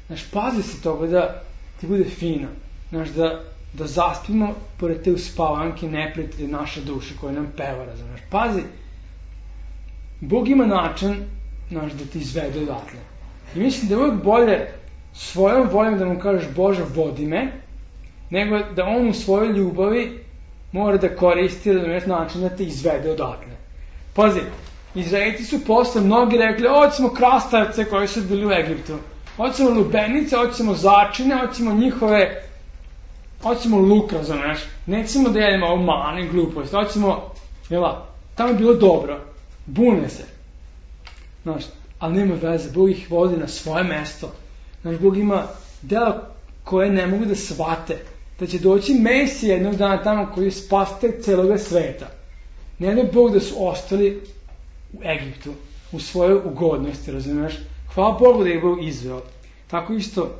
Znaš, pazi se toga da ti bude fino. Znaš, da zaspimo pored te uspavanke neprijatelje naše duše koje nam peva, razumiješ? Pazi, Bog ima način, znaš, da ti izvede odatle. I mislim da je uvijek bolje svojom voljom da mu kažeš Bože, vodi me, nego da on u svojoj ljubavi mora da koristi način da te izvede odatle. Pazi, Izraelci su posle mnogi rekli, hoćemo krastavce koji su bili u Egiptu, hoćemo lubenice, hoćemo začine, hoćemo luk, razumeš, nećemo da jedemo ovo mane, glupost, hoćemo, tamo je bilo dobro, bune se, znaš, ali nema veze, Bog ih vodi na svoje mesto, znaš, Bog ima dela koje ne mogu da shvate, da će doći Mesija jednog dana tamo koji je spasitelj celoga sveta. Ne da Bog da su ostali u Egiptu, u svojoj ugodnosti, razumiješ? Hvala Bogu da je Bog izveo. Tako isto,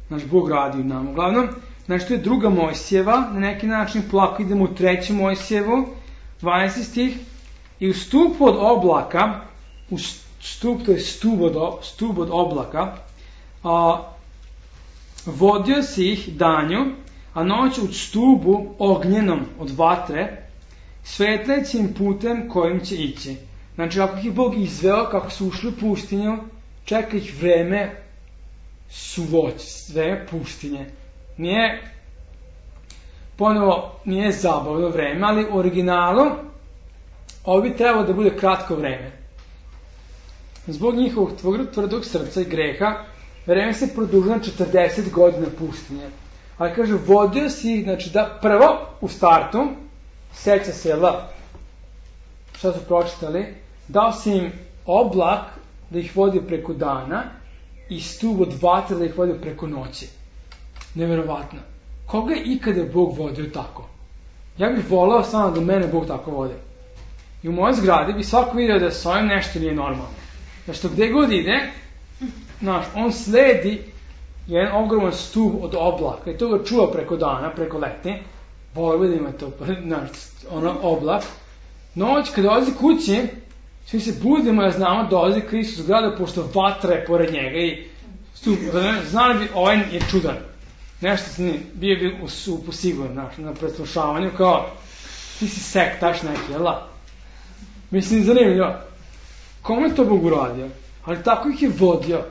naš Bog radi u nama. Uglavnom, znači to je 2. Mojsijeva, na neki način polako idemo u 3. Mojsijevu, 12. stih, i u stupu od oblaka, to je stup od oblaka, vodio si ih danju, a noć u stubu ognjenom od vatre, svetleći im putem kojim će ići. Znači, ako ih je Bog izveo, kako su ušli u pustinju, čeka ih vreme vreme pustinje. Nije zabavno vreme, ali u originalu ovo bi trebalo da bude kratko vreme. Zbog njihovog tvrdog srca i greha, vreme se produžilo 40 godina pustinje. Ali kaže, vodio si, znači da prvo u startu, seća se, šta su pročitali, dao si im oblak da ih vodi preko dana i stup od vatre da ih vodi preko noći. Neverovatno. Koga je ikada Bog vodio tako? Ja bih volao samo da mene Bog tako vodi. I u mojoj zgradi bi svako vidio da s ovim nešto nije normalno. Znači, što gde god ide, on sledi jedan ogroman stup od oblaka i to ga čuva preko dana, preko leti. Volio da ima to, oblak. Noć, kada dolazi kući, svi se budimo, znamo, dolazi Hristos u zgradu, pošto vatra je pored njega i stup, znali bi, ovaj je čudan. Nešto se nije, bio bi u supu sigurno, na preslušavanju, kao, ti si sektaš neki, jel? Mislim, zanimljivo. Kome je to Bog uradio? Ali tako ih je vodio,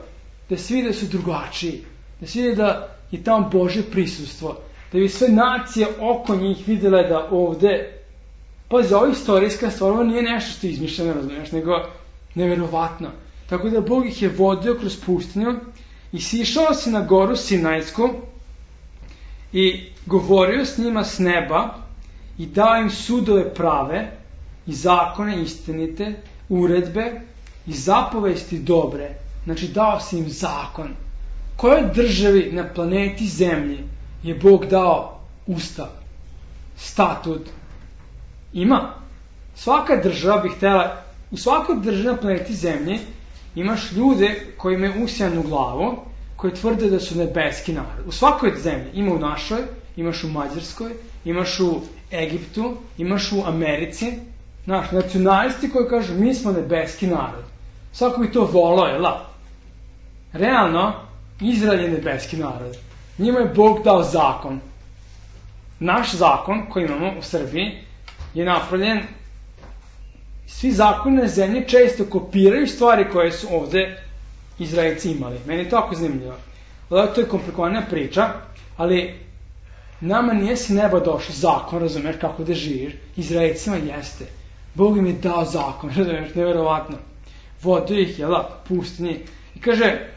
da se vidi da su drugačiji, da se vidi da je tamo Božje prisustvo, da bi sve nacije oko njih vidjela da ovde, pazi, ova istorijska stvar, ovo nije nešto što je izmišljeno, razumiješ, nego neverovatno. Tako da Bog ih je vodio kroz pustinju i sišao si na goru Sinajsku i govorio s njima s neba i dao im sudove prave i zakone istinite, uredbe i zapovesti dobre. Znači, dao si im zakon. Kojoj državi na planeti Zemlji je Bog dao ustav, statut? Ima. Svaka država bi htjela, u svakoj državi na planeti Zemlji imaš ljude koji imaju usijanu glavu, koji tvrde da su nebeski narod. U svakoj zemlji, ima u našoj, imaš u Mađarskoj, imaš u Egiptu, imaš u Americi, nacionalisti koji kažu mi smo nebeski narod. Svako bi to volao, jel? Realno, Izrael je nebeski narod. Njima je Bog dao zakon. Naš zakon koji imamo u Srbiji je napravljen, svi zakoni na zemlji često kopiraju stvari koje su ovde Izraelci imali. Meni je to jako zanimljivo. To je komplikovana priča, ali nama nije s neba došao zakon, razumeš, kako da živiš. Izraelcima jeste. Bog im je dao zakon, razumeš, nevjerovatno. Vodio ih, pustinji. I kaže,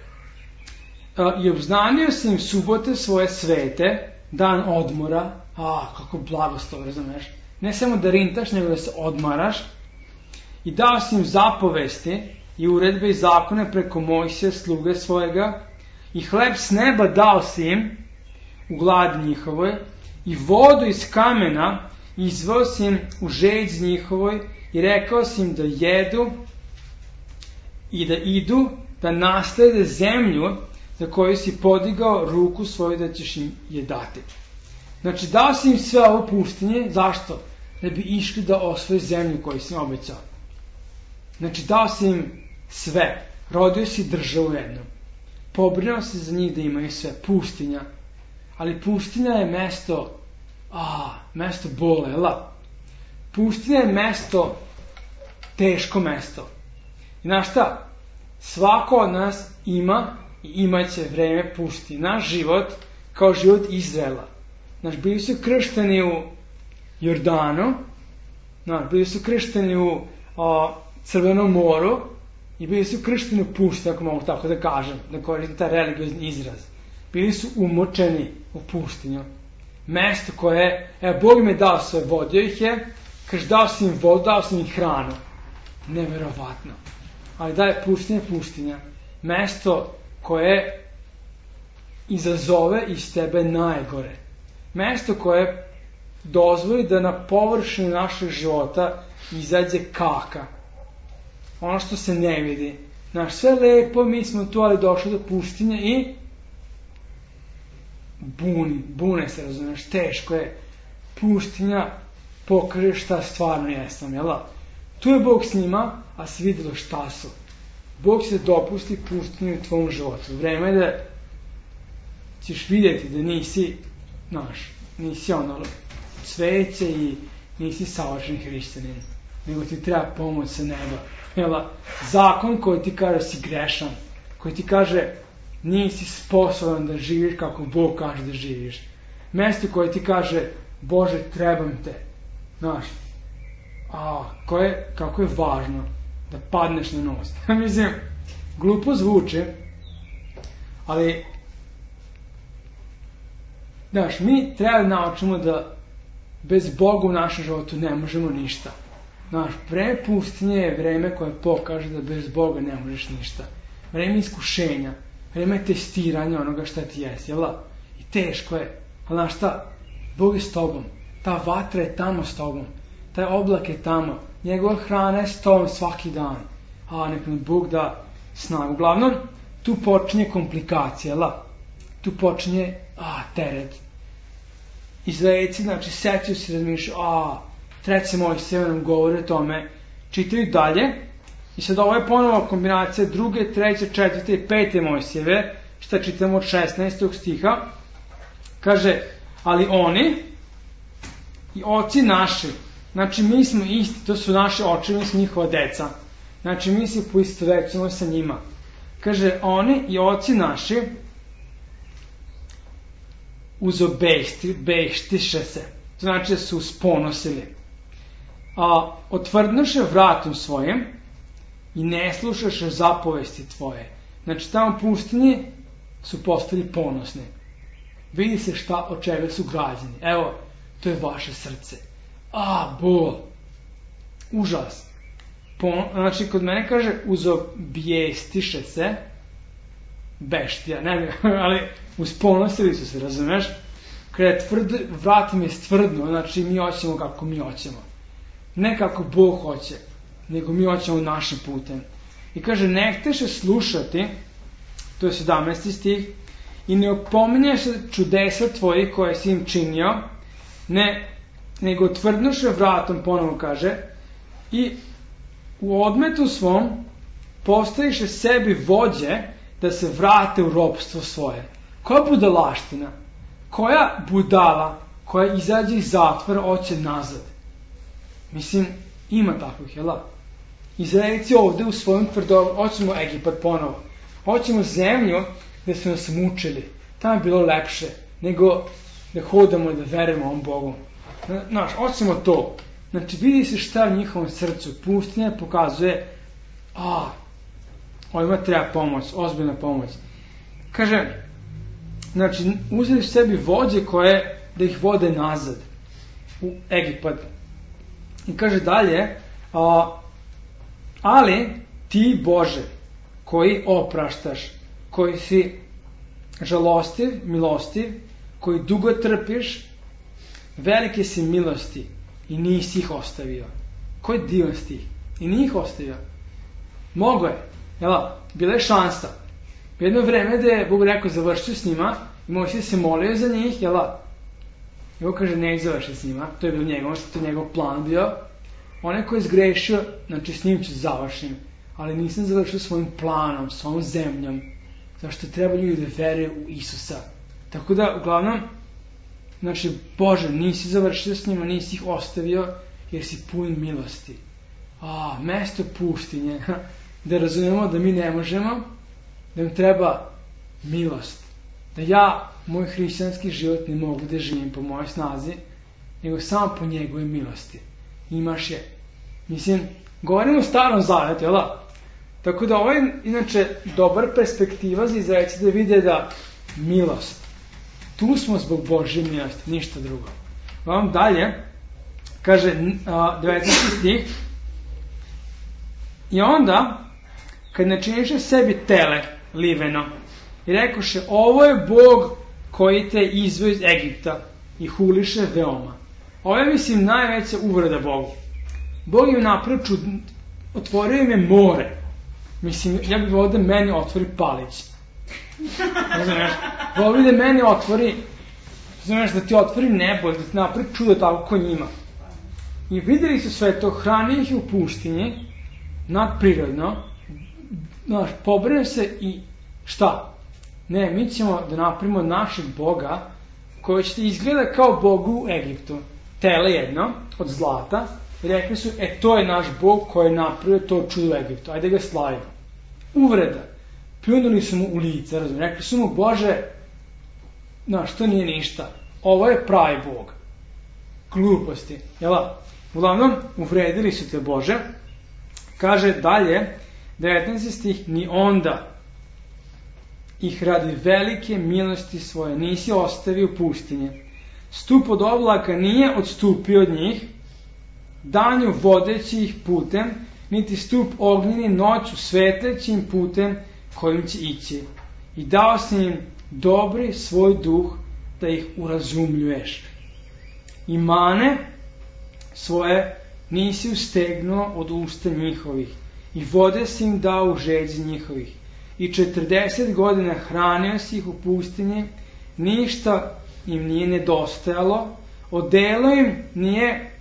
i obznanio sam im subote svoje svete, dan odmora, kako blagoslov, razumeš. Ne samo da rintaš, nego da se odmaraš. I dao sam im zapovesti i uredbe i zakone preko Mojsija, sluge svojega, i hleb s neba dao si im u gladi njihovoj, i vodu iz kamena izveo si im u žeđ njihovoj, i rekao si im da jedu i da idu, da naslede zemlju za koju si podigao ruku svoju da ćeš im je dati. Znači, dao si im sve ovo pustinje, zašto? Da bi išli da osvoje zemlju koju si im obećao. Znači, dao si im sve, rodio si državu jednu, pobrinuo se za njih da imaju sve, pustinja, ali pustinja je mesto bole, pustinja je mesto, teško mesto. I znaš šta? Svako od nas ima i imaće vreme pustinje. Naš život kao život Izraela. Znaš, bili su kršteni u Jordanu, bili su kršteni u Crvenom moru i bili su kršteni u pušti, ako mogu tako da kažem, da koristim taj religiozni izraz. Bili su umočeni u pustinju. Mesto koje, Bog im je dao sve, vodio ih je, kaže, dao sam im vodu, dao sam im hranu. Neverovatno. Ali da je pustinja. Mesto koje izazove iz tebe najgore. Mesto koje dozvoli da na površini našeg života izađe kaka. Ono što se ne vidi. Znaš, sve lepo, mi smo tu, ali došli do pustinje i bune se, razumiješ, teško je. Pustinja pokaže šta stvarno jesam, jel? Tu je Bog s njima, a se vidjelo šta su. Bog će dopusti pustinju u tvom životu. Vreme je da ćeš vidjeti da nisi, nisi cveće i nisi savršen hrišćanin, nego ti treba pomoć sa neba. Zakon koji ti kaže si grešan, koji ti kaže nisi sposoban da živiš kako Bog kaže da živiš. Mesto koje ti kaže, Bože, trebam te. Kako je važno da padneš na nos. Mislim, glupo zvuče, ali mi treba da naučimo da bez Boga u našem životu ne možemo ništa. Vreme pustinje je vreme koje pokaže da bez Boga ne možeš ništa. Vreme iskušenja, vreme testiranja onoga šta ti jesi, jel? I teško je, ali znaš šta? Bog je s tobom, ta vatra je tamo s tobom, taj oblak je tamo, njegova hrana je s tobom svaki dan. Nek nam Bog da snagu. Uglavnom, tu počinje komplikacija, jel? Tu počinje teret. Izraelci, sećaju se, razmišljaju, treće Mojsijeve nam govori o tome, čitaju dalje, i sad ovo je ponovo kombinacija druge, treće, četvrte i pete Mojsijeve, šta čitamo od 16. stiha, kaže, ali oni i oci naši, mi smo isti, to su naši očevi, mi smo njihova deca, mi se poistovećujemo sa njima. Kaže, oni i oci naši uzobejštiše se, to znači da su usponosili. Otvrdnuše vratom svojim i ne slušaše zapovesti tvoje. Tamo pustinji su postali ponosni. Vidi se od čega su građeni. Evo, to je vaše srce. Bol. Užas. Kod mene kaže uzobjestiše se, beštija, ali usponosili su se, razumeš? Kada je vrat im je stvrdno, mi hoćemo kako mi hoćemo. Ne kako Bog hoće, nego mi hoćemo našim putem. I kaže, ne hteše slušati, to je 17. stih, i ne opominješ čudesa tvojih koje si im činio, nego tvrdnuše vratom, ponovo kaže, i u odmetu svom postaviše sebi vođe da se vrate u ropstvo svoje. Koja budalaština, koja budala, koja izađe iz zatvora, hoće nazad. Mislim, ima takvih, jel? Izraelci ovde u svojom tvrdoglavu, hoćemo Egipat ponovo. Hoćemo zemlju gde su nas mučili. Tamo je bilo lepše nego da hodamo i da verujemo ovom Bogu. Znaš, hoćemo to. Znači, vidi se šta u njihovom srcu. Pustinja pokazuje, ovima treba pomoć, ozbiljna pomoć. Kaže, znači, uzeli sebi vođe koje da ih vode nazad u Egipat. I kaže dalje, ali ti, Bože, koji opraštaš, koji si žalostiv, milostiv, koji dugo trpiš, velike si milosti i nisi ih ostavio. Koji divan stih? I nije ih ostavio. Mogo je. Bila je šansa. Jedno vreme da je Bog rekao završio s njima i Mojsije se molio za njih, I Bog kaže ne završi s njima. To je bilo njegov plan bio. Onaj koji je zgrešio, znači s njim ću završim. Ali nisam završio svojim planom, svojom zemljom. Zašto treba ljudi da veruju u Isusa. Tako da, uglavnom, znači, Bože, nisi završio s njima, nisi ih ostavio, jer si pun milosti. Mesto pustinje, da razumemo da mi ne možemo, da im treba milost. Da ja, moj hrišćanski život ne mogu da živim po mojoj snazi, nego samo po njegove milosti. Imaš je. Mislim, govorimo o Starom Zavetu, jel da? Tako da ovo je, inače, dobar perspektiva za Izraelce da vide da milost. Tu smo zbog Božje milosti, ništa drugo. Vam dalje, kaže 19. stih, i onda, kad načiniše sebi tele liveno, i rekoše, ovo je Bog koji te izveo iz Egipta i huliše veoma. Ovo je, mislim, najveća uvreda Bogu. Bog im napravio otvorio im je more. Mislim, ja bih volio da meni otvori palić. Znaš, volio da meni otvori, znaš, da ti otvori nebo, da ti napravi čudo tako ko njima. I videli su sve to, hrani ih u pustinji, nadprirodno, znaš, pobrinu se i šta? Ne, mi ćemo da napravimo našeg Boga, koji će ti izgleda kao Bogu u Egiptu. Tele jedno, od zlata, i rekli su, to je naš Bog koji je napravio to čudo u Egiptu, ajde ga slavimo. Uvreda. Pljunuli su mu u lice, razumiješ, rekli su mu, Bože, znaš, to nije ništa, ovo je pravi Bog. Gluposti, jela? Uglavnom, uvredili su te, Bože. Kaže dalje, 19. stih, ni onda ih radi velike milosti svoje nisi ostavio u pustinje. Stup od oblaka nije odstupio od njih, danju vodeći ih putem, niti stup ognjeni noću svetlećim putem kojim će ići. I dao si im dobri svoj duh da ih urazumljuješ. I mane svoje nisi ustegnuo od usta njihovih i vode si im dao u žeđi njihovih. I 40 godina hranio si ih u pustinji, ništa im nije nedostajalo, odelo im nije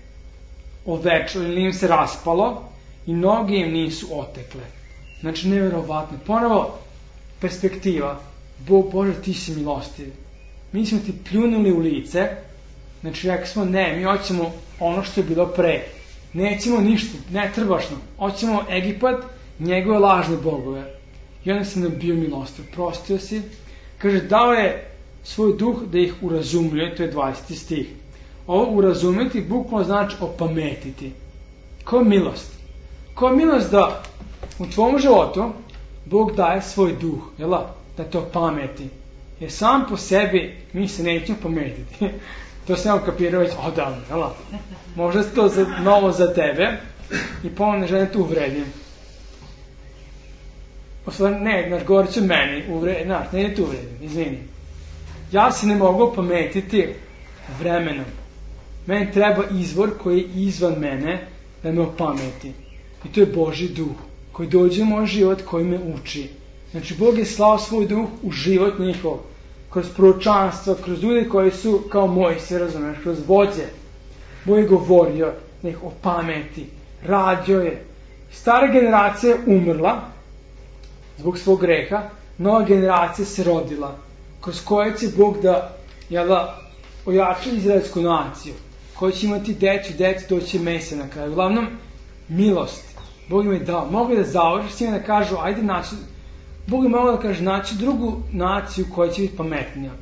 ovečilo ili im se raspalo i noge im nisu otekle. Znači, nevjerovatno. Ponovo, perspektiva. Bog, Bože, ti si milostiv. Mi smo ti pljunuli u lice, znači rekli smo, ne, mi hoćemo ono što je bilo pre. Nećemo ništa, ne trebaš nam. Hoćemo Egipat, njegove lažne bogove. I onda sam nam bio milostiv. Prostio si. Kaže, dao je svoj duh da ih urazumljuje, to je 20. stih. Ovo urazumjeti bukvalno znači opametiti. Ko milost? Ko milost da u tvom životu Bog daje svoj duh, jela? Da to pameti. Jer sam po sebi mi se nećemo pametiti. To sam ja kapirao već odavno, jela? Možda je to novo za tebe i ponovno ne želim tu uvredim. Ne, znaš, govorit ću meni, znaš, ne tu uvredim, izvini. Ja se ne mogu pametiti vremenom. Meni treba izvor koji je izvan mene da me opameti. I to je Božji duh koji dođe u moj život, koji me uči. Znači, Bog je slao svoj duh u život njihov, kroz proročanstvo, kroz ljudi koji su kao Mojsije, razumiješ, kroz vođe. Bog je govorio da ih opameti, rađao je. Stara generacija je umrla zbog svog greha, nova generacija se rodila, kroz koje će Bog da ojača izraelsku naciju, koji će imati decu, doći Mesija na kraju. Uglavnom, milost. Bog im je dao. Mogu da završi s njima da kažu, ajde naći, Bog je mogao da kaže, naći drugu naciju koja će biti pametnija.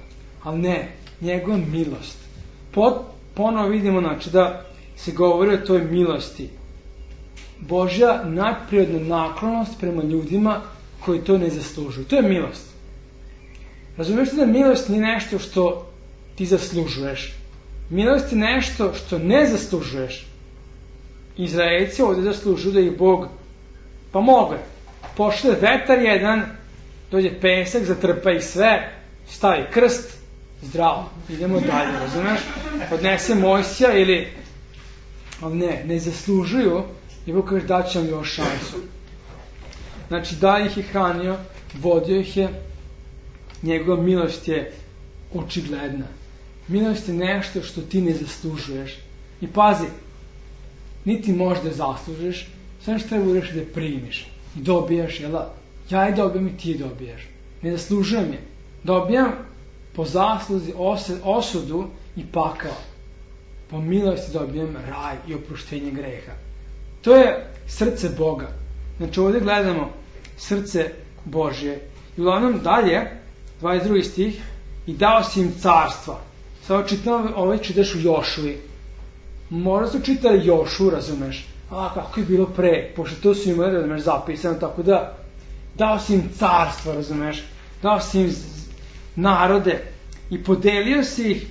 Ali ne, njegova milost. Ponovo vidimo, znači, da se govori o toj milosti. Božja nadprirodna naklonost prema ljudima koji to ne zaslužuju. To je milost. Razumiješ da milost nije nešto što ti zaslužuješ. Milost je nešto što ne zaslužuješ. Izraelci ovdje zaslužuju da ih Bog, pa mogu. Pošle vetar jedan, dođe pesak, zatrpa ih sve, stavi krst, zdravo, idemo dalje, razumiješ? Odnese Mojsija ili, ali ne zaslužuju, i Bog kaže da će vam još šansu. Znači da ih je hranio, vodio ih je, njegova milost je očigledna. Milost je nešto što ti ne zaslužuješ. I pazi, niti možda zaslužiš, sve što treba uraš da je primiš. I dobijaš, ja je dobijam i ti je dobijaš. Ne zaslužujem je. Dobijam po zasluzi osudu i pakao. Po milosti dobijam raj i oproštenje greha. To je srce Boga. Znači ovdje gledamo srce Božje. I uglavnom dalje, 22. stih, i dao si im carstva. Sada čitam, čitaš u Jošuji. Možda su čitali Jošu, razumeš? Kako je bilo pre, pošto to su imali, razumeš, zapisano, tako da dao si im carstva, razumeš? Dao si im narode i podelio si ih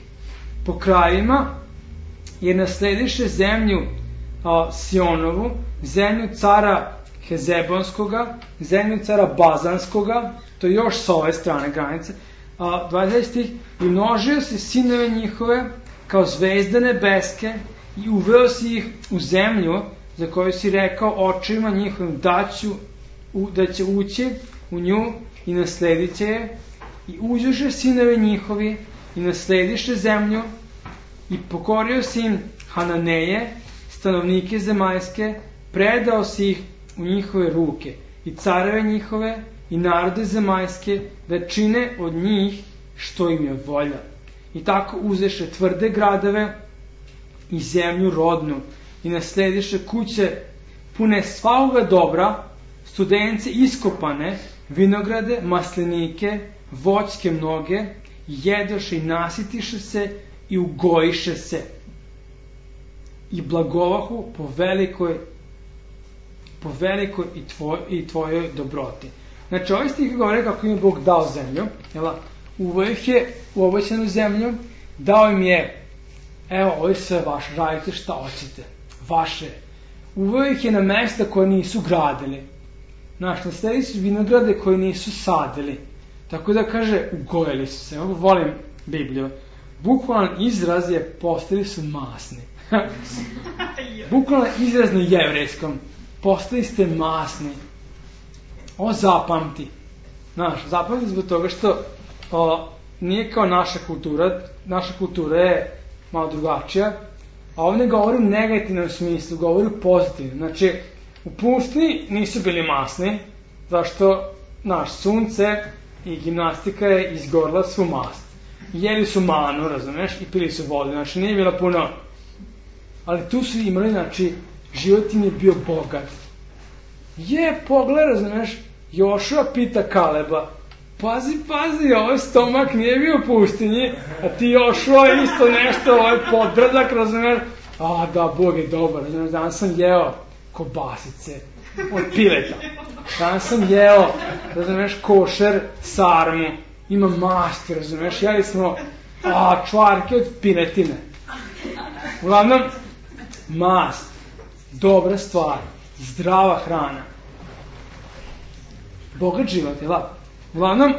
po krajima, jer naslediše zemlju Sionovu, zemlju cara Hezebonskoga, zemlju cara Bazanskoga, to je još sa ove strane granice, 20 stih, i množio si sinove njihove kao zvezde nebeske i uveo si ih u zemlju za koju si rekao očima njihovim da će ući u nju i nasledit će je, i uđoše sinove njihovi i naslediše zemlju i pokorio si im Hananeje, stanovnike zemaljske, predao si ih u njihove ruke i careve njihove i narode zemaljske da čine od njih što im je volja. I tako uzeše tvrde gradove i zemlju rodnu i naslediše kuće pune svakoga dobra, studence iskopane, vinograde, maslinike, voćke mnoge, jedoše i nasitiše se i ugojiše se i blagovahu po velikoj i tvojoj dobroti. Znači, ovaj stih govore kako im je Bog dao zemlju, uveo ih je u obećanu zemlju, dao im je, evo, ovo je sve vaše, radite šta hoćete, vaše. Uveo ih je na mesta koje nisu gradili. Znaš, nasledili su vinograde koje nisu sadili. Tako da kaže, ugojili su se. Ovo volim Bibliju. Bukvalan izraz je, postali su masni. Bukvalan izraz na jevrejskom. Postali ste masni. Ovo zapamti. Znaš, zapamti zbog toga što nije kao naša kultura. Naša kultura je malo drugačija. A ovdje govori u negativnom smislu, govori u pozitivnom. Znači, u pustinji nisu bili masni, zašto naš sunce i gimnastika je izgorila svu mast. Jeli su manu, razumeš, i pili su vodu, znači nije bilo puno. Ali tu su imali, znači, život im je bio bogat. Pogled, razumeš, Jošua pita Kaleba, pazi, ovaj stomak nije bio u pustinji, a ti Jošua isto nešto, ovaj podbradak, razumeš, da, Bog je dobar, razumeš, danas sam jeo kobasice od pileta. Danas sam jeo, razumeš, košer sarmu, ima masti, razumeš, jeli smo čvarke od piletine. Uglavnom, mast, dobra stvar, zdrava hrana, bogat život, jel? Uglavnom,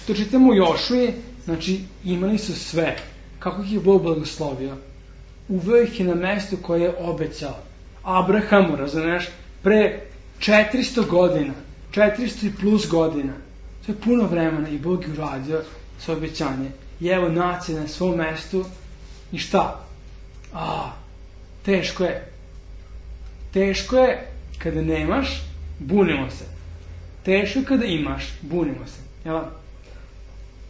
to čitamo u Jošuji, znači imali su sve, kako ih je Bog blagoslovio. Uveo ih je na mesto koje je obećao Abrahamu, razumeš, pre 400 godina, 400 i plus godina. To je puno vremena i Bog je uradio svoje obećanje. I evo nacije na svom mestu i šta? Teško je. Teško je kada nemaš, bunimo se. Teško je kada imaš, bunimo se. Jel?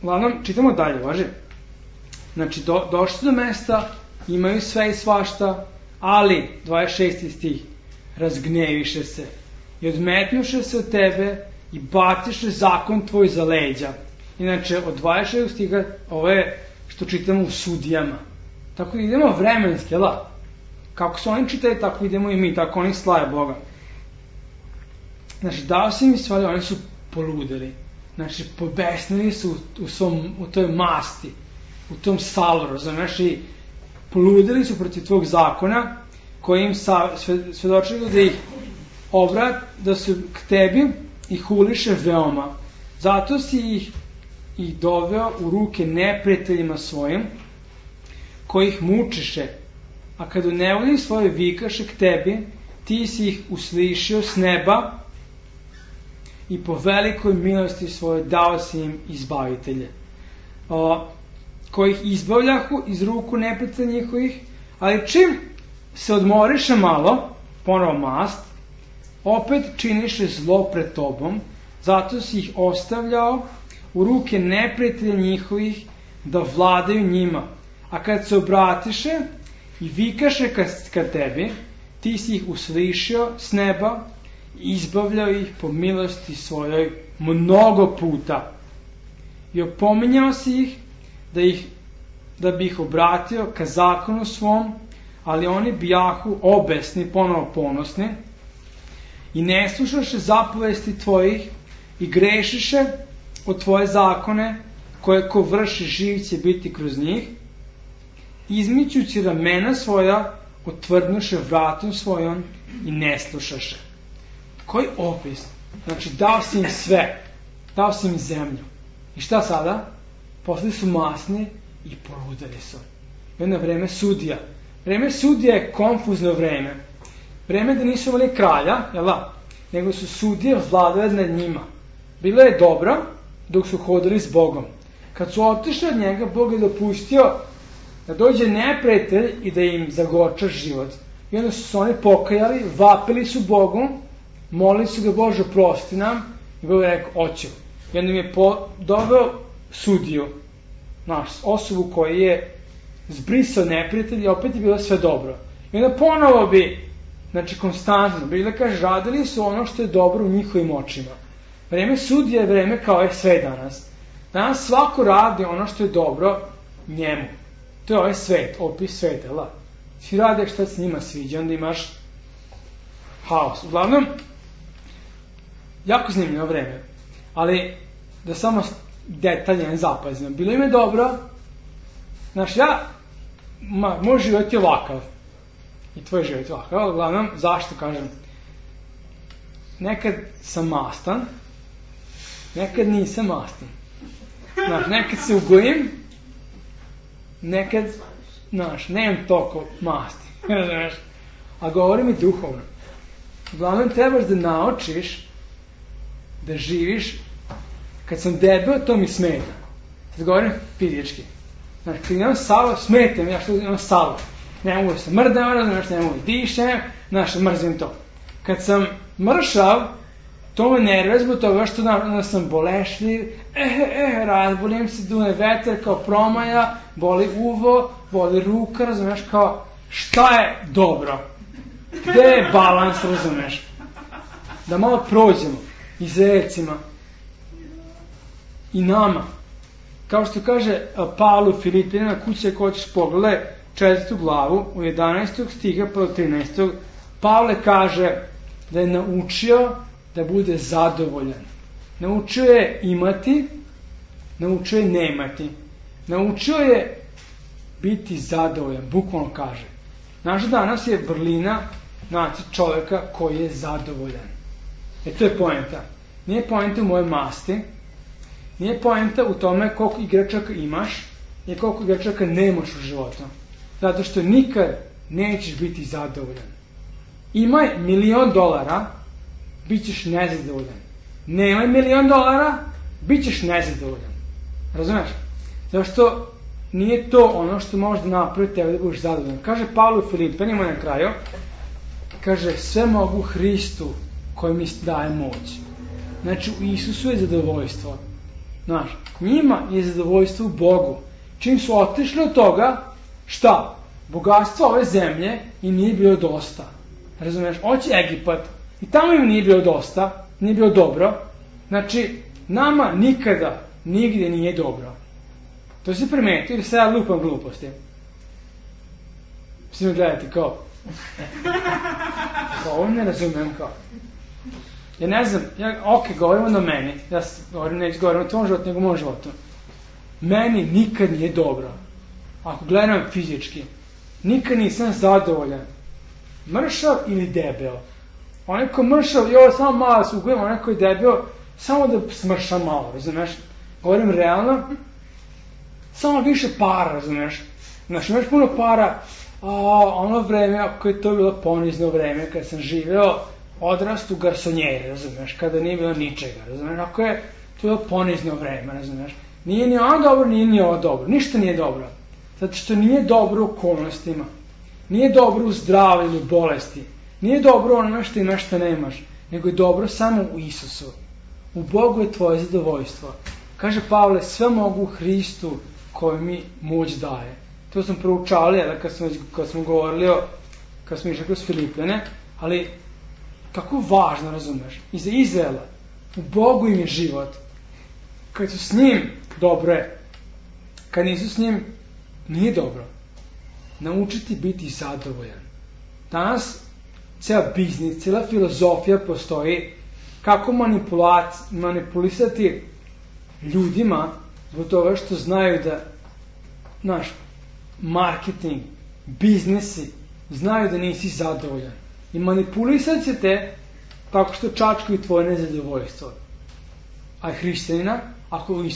uglavnom, čitamo dalje, važi. Znači, došli do mesta, imaju sve i svašta, ali, 26. stih, razgneviše se i odmetnuše se od tebe i baciše zakon tvoj za leđa. Inače, od 26. stiha, ovo je što čitamo u Sudijama. Tako idemo vremenski, da? Kako su oni čitali, tako idemo i mi, tako oni slave Boga. Znači, dao si mi stvari, oni su poludeli. Znači, pobesnili su u toj masti, u tom saloru, znači, i poludeli su protiv tvog zakona, koji im svedočili da ih da su k tebi i huliše veoma. Zato si ih i doveo u ruke neprijateljima svojim, koji ih mučiše, a kad u nevolji svoje vikaše k tebi, ti si ih uslišio s neba i po velikoj milosti svoje dao si im izbavitelje, koji ih izbavljahu iz ruku neprijatelja njihovih, ali čim se odmoriše malo, ponovo mast, opet činiše zlo pred tobom, zato si ih ostavljao u ruke neprijatelja njihovih da vladaju njima. A kad se obratiše i vikaše ka tebi, ti si ih uslišio s neba i izbavljao ih po milosti svojoj mnogo puta. I opominjao si ih da bi ih obratio ka zakonu svom, ali oni bijahu obesni, ponovo ponosni, i ne slušaše zapovesti tvojih i grešiše od tvoje zakone, koje ko vrši živ će biti kroz njih, izmičući ramena svoja, otvrdnuše vratom svojom i ne slušaše. Koji opis? Znači, dao si im sve, dao si im zemlju. I šta sada? Postali su masni i poludeli su. I onda vreme sudija. Vreme sudija je konfuzno vreme. Vreme da nisu imali kralja, jel da? Nego su sudije vladale nad njima. Bilo je dobro dok su hodili s Bogom. Kad su otišli od njega, Bog je dopustio da dođe neprijatelj i da im zagorča život. I onda su se oni pokajali, vapili su Bogu, molili su ga, Bože, oprosti nam, i Bog je rekao, oću. I onda im je doveo sudiju, osobu koji je zbrisao neprijatelj i opet je bilo sve dobro. I onda ponovo bi, znači konstantno, Biblia kaže, radili su ono što je dobro u njihovim očima. Vreme sudije je vreme kao je sve danas. Danas svako radi ono što je dobro njemu. To je ovaj svet, opis sveta, la. Svi rade šta se njima sviđa, onda imaš haos. Uglavnom, jako zanimljivo vreme. Ali, da samo detalje ne zapazim. Bilo im je dobro, znaš, moj život je ovakav. I tvoj život je ovakav. Uglavnom, zašto kažem? Nekad sam mastan, nekad nisam mastan. Znaš, nekad se ugojim, nekad, znaš, nemam toliko masti. Znaš, a govorim i duhovno. Uglavnom, trebaš da naučiš da živiš. Kad sam debel, to mi smeta. Sad govorim fizički. Znaš, kad imam salo, smeta mi, ja što imam salo. Ne mogu se mrdam, ne mogu dišem, znaš, mrzim to. Kad sam mršav, to me nervira zbog toga što sam bolešljiv, razbolim se, dune veter kao promaja, boli uvo, boli ruka, razumeš, kao šta je dobro? Gde je balans, razumeš? Da malo prođemo Izraelcima i nama. Kao što kaže Pavlu Filipinima, kuće ko ćeš pogledaj 4. glavu, u 11. stiha pa do 13. Pavle kaže da je naučio da bude zadovoljan. Naučio je imati, naučio je nemati. Naučio je biti zadovoljan, bukvalno kaže. Naš danas je vrlina čovjeka koji je zadovoljan. To je poenta. Nije poenta u moje masti, nije poenta u tome koliko igračaka imaš i koliko igračaka nemaš u životu. Zato što nikad nećeš biti zadovoljan. Imaj $1.000.000, bit ćeš nezadovoljan. Nemaj $1.000.000, bit ćeš nezadovoljan. Razumeš? Zato što nije to ono što može da napravi tebe da budeš zadovoljan. Kaže Pavle Filipenima na kraju, kaže, sve mogu Hristu koji mi daje moć. Znači, u Isusu je zadovoljstvo. Znaš, njima je zadovoljstvo u Bogu. Čim su otišli od toga, šta? Bogatstvo ove zemlje im nije bilo dosta. Razumeš? Hoće Egipat. I tamo im nije bilo dosta, nije bilo dobro. Znači, nama nikada, nigde nije dobro. To se primetio ili se ja lupam gluposti. Svi me gledati kao... Kao, ovo ne razumem kao. Ja ne znam, govorimo na meni. Ja neću govorim o tvom životu, nego o mom životu. Meni nikad nije dobro. Ako gledam fizički, nikad nisam zadovoljan. Mršav ili debeo. Onaj ko mršav, samo malo se ugujem, onaj ko je debeo, samo da smrša malo, razumeš? Govorim realno, samo više para, razumeš? Znaš, imaš puno para, ono vreme, ako je to bilo ponizno vreme, kada sam živeo, odrastu garsonjeri, razumeš? Kada nije bilo ničega, razumeš? Ako je to bilo ponizno vreme, razumeš? Nije ni ono dobro, nije ni ovo dobro, ništa nije dobro. Zato što nije dobro u okolnostima, nije dobro u zdravlju ili bolesti, nije dobro ono što imaš što nemaš, nego je dobro samo u Isusu. U Bogu je tvoje zadovoljstvo. Kaže Pavle, sve mogu u Hristu koji mi moć daje. To smo proučali, kad smo govorili kad smo išli kroz Filipljane, ali kako važno, razumeš, i za Izraela, u Bogu im je život. Kad su s njim, dobro je. Kad nisu s njim, nije dobro. Naučiti biti zadovoljan. Danas cijela biznis, cijela filozofija postoji kako manipulisati ljudima zbog toga što znaju da marketing, biznesi znaju da nisi zadovoljan. I manipulisat će te tako što čačkaju tvoje nezadovoljstvo. A hrišćanina, ako je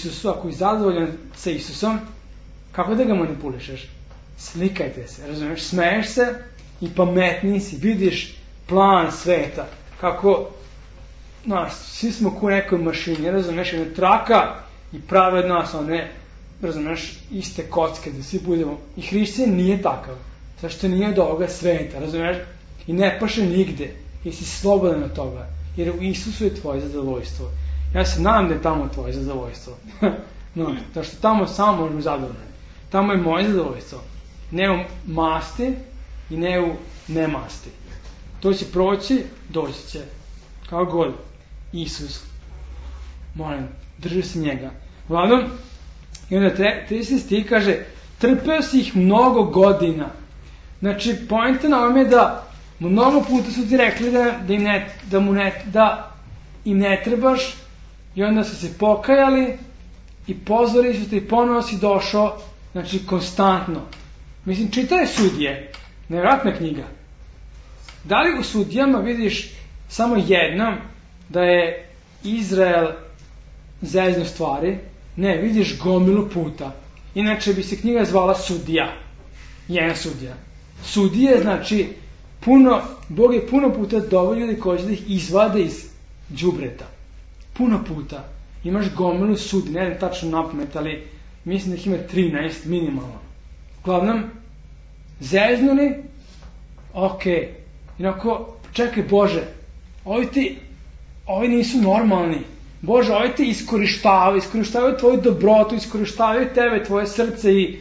zadovoljan sa Isusom, kako da ga manipulišeš? Slikajte se, razumiješ, smeješ se i pametniji si, vidiš plan sveta, kako, svi smo ko nekoj mašini, razumiješ, jedna traka i prave od nas one, razumiješ, iste kocke, da svi budemo, i hrišćanin nije takav, zašto nije od ovoga sveta, razumiješ, i ne paše nigde, jer si slobodan od toga, jer u Isusu je tvoje zadovoljstvo. Ja se nadam da je tamo tvoje zadovoljstvo, zašto tamo samo možemo zadovoljati. Tamo je moje zadovoljstvo. Ne u masti i ne u nemasti. To će proći, doći će. Kao god. Isus. Molim, drži se njega. Uglavnom, i onda 30 stih kaže, trpeo si ih mnogo godina. Znači, poenta na ovom je da mnogo puta su ti rekli da im ne trebaš i onda su se pokajali i pozvali su te i ponovo si došao. Znači, konstantno. Mislim, čitaj Sudije. Nevjerojatna knjiga. Da li u Sudijama vidiš samo jednom da je Izrael zezno stvari? Ne, vidiš gomilu puta. Inače bi se knjiga zvala Sudija. Jedan Sudija. Sudije znači Bog je puno puta doveo ljudi koji će da ih izvade iz đubreta. Puno puta. Imaš gomilu sudi, ne znam tačno napamet, ali mislim da ih ima 13 minimalno. Uglavnom, zeznuli, inako, čekaj Bože, ovi nisu normalni. Bože, ovi te iskorištavaju tvoju dobrotu, iskorištavaju tebe, tvoje srce i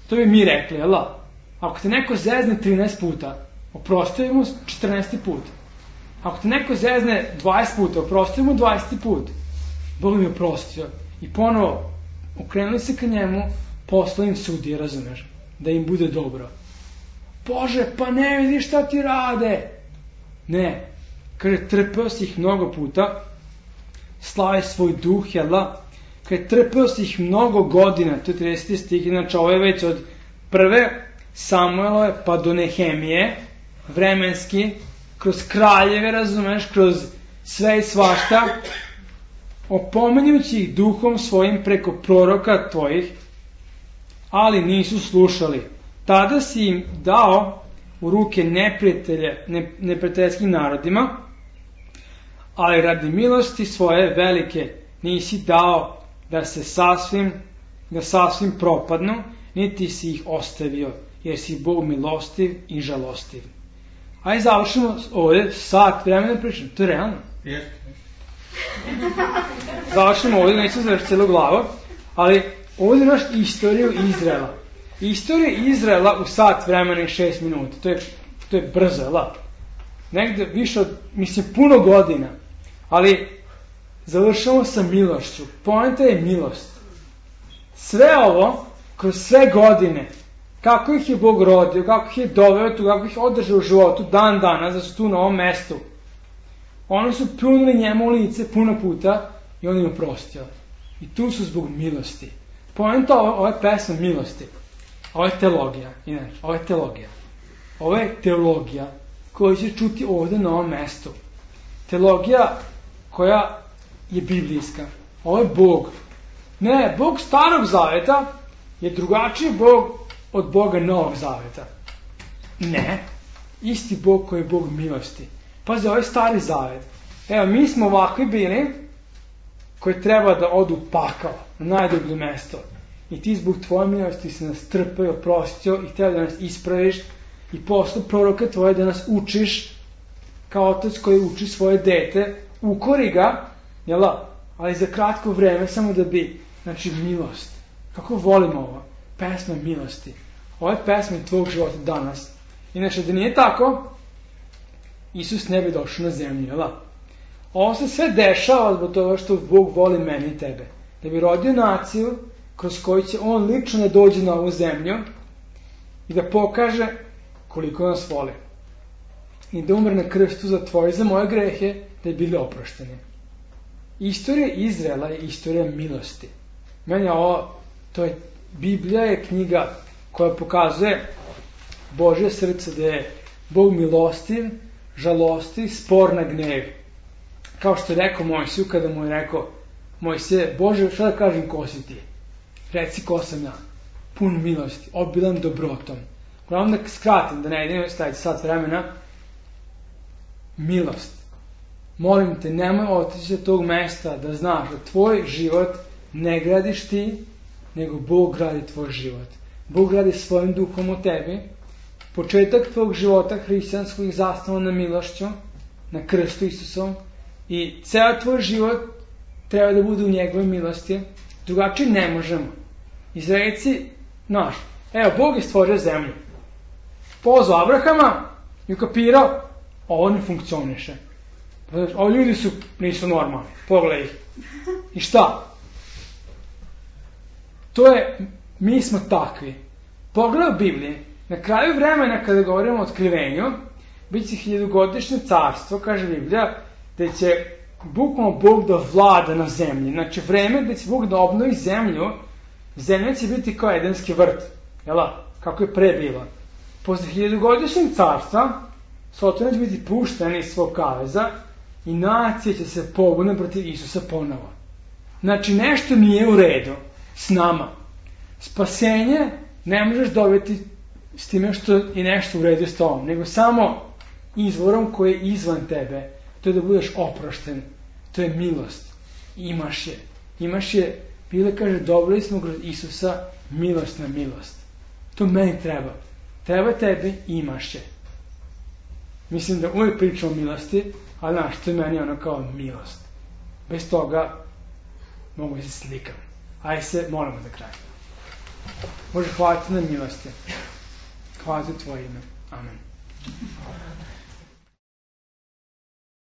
to bi mi rekli, jel da? Ako te neko zezne 13 puta, oprosti mu 14. put. Ako te neko zezne 20 puta, oprosti mu 20. put. Bog mi je oprostio. I ponovo, okrenuli se ka njemu, poslao im Sudije, razumeš, da im bude dobro. Bože, pa ne vidiš šta ti rade. Ne, kaže, trpeo si ih mnogo puta, slavi svoj duh, jel da? Kaže, trpeo si ih mnogo godina, to je 30. stih, znači ovo je već od prve Samuelove pa do Nehemije, vremenski, kroz kraljeve, razumeš, kroz sve i svašta, opominjući ih duhom svojim preko proroka tvojih, ali nisu slušali. Tada si im dao u ruke neprijateljskim narodima, ali radi milosti svoje velike nisi dao da sasvim propadnu, niti si ih ostavio, jer si Bog milostiv i žalostiv. Ajde završimo ovdje, sat vremena pričam, to je realno. Završimo ovdje, neću završiti cijelu glavu, ali ovdje imaš istoriju Izraela. Istorija Izraela u sat vremena i 6 minuta. To je brzo, jel? Negde više od, puno godina. Ali završamo sa milošću. Poenta je milost. Sve ovo, kroz sve godine, kako ih je Bog rodio, kako ih je doveo tu, kako ih održao u životu dan danas, da su tu na ovom mestu. Oni su pljunuli njemu u lice puno puta i on im oprostio. I tu su zbog milosti. Poenta ove pesme milosti. Ovo je teologija. Inače, ovo je teologija. Ovo je teologija koju će čuti ovdje na ovom mestu. Teologija koja je biblijska. Ovo je Bog. Ne, Bog starog zaveta je drugačiji Bog od Boga novog zaveta. Ne, isti Bog koji je Bog milosti. Pazi, ovo je stari zavet. Evo, mi smo ovakvi bili koji treba da odu u pakao, na najdublje mesto. I ti zbog tvoje milosti se nas trpeo, oprostio i htio da nas ispraviš i posle proroka tvoje da nas učiš kao otac koji uči svoje dete, ukori ga, jel, ali za kratko vreme samo da bi, znači, milost. Kako volimo ovo? Pesma milosti. Ovo je pesma tvojeg života danas. Inače, da nije tako, Isus ne bi došao na zemlju, jel? Ovo se sve dešava zbog toga što Bog voli mene i tebe. Da bi rodio naciju kroz koju će on lično da dođe na ovu zemlju i da pokaže koliko nas voli. I da umre na krstu za tvoje i za moje grehe, da je bili oprošteni. Istorija Izraela je istorija milosti. Meni ovo, Biblija je knjiga koja pokazuje Božje srce, da je Bog milostiv, žalostiv, spor na gnev. Kao što je rekao Mojsiju kada mu je rekao: Mojsije, Bože, šta da kažem, ko si ti? Reci ko sam ja. Pun milosti, obilan dobrotom. Uglavnom da skratim, da ne idem staviti sat vremena. Milost. Molim te, nemoj otići od tog mesta da znaš da tvoj život ne gradiš ti, nego Bog gradi tvoj život. Bog gradi svojim duhom u tebi. Početak tvog života hrišćanskog je zasnovan na milošću, na krstu Isusom, i ceo tvoj život treba da bude u njegovoj milosti. Drugačije ne možemo. Izraelci, znaš, evo, Bog je stvorio zemlju. Pozvao Abrahama i ukapirao, ovo ne funkcioniše. Ovo ljudi nisu normalni, pogledaj ih. I šta? Mi smo takvi. Pogledaj u Bibliji, na kraju vremena kada govorimo o otkrivenju, bit će 1000-godišnje carstvo, kaže Biblija, da će bukvalno Bog da vlada na zemlji. Znači, vreme da će Bog da obnovi zemlju, zemlja će biti kao Edenski vrt, jela, kako je pre bilo. Posle 1000-godišnjeg carstva, Sotona će biti puštena iz svog kaveza i nacija će se pobune protiv Isusa ponovo. Znači, nešto nije u redu s nama. Spasenje ne možeš dobiti s time što je nešto u redu s tobom, nego samo izvorom koji je izvan tebe. To je da budeš oprošten. To je milost. Imaš je. Imaš je, Biblia kaže, dobili smo kroz Isusa milost na milost. To meni treba. Treba tebi, imaš je. Mislim da uvijek pričam o milosti, ali znaš, to je meni ono kao milost. Bez toga mogu se slikam. Ajde se, molimo za kraj. Bože, hvala ti na milosti. Hvala ti u tvoje ime. Amen.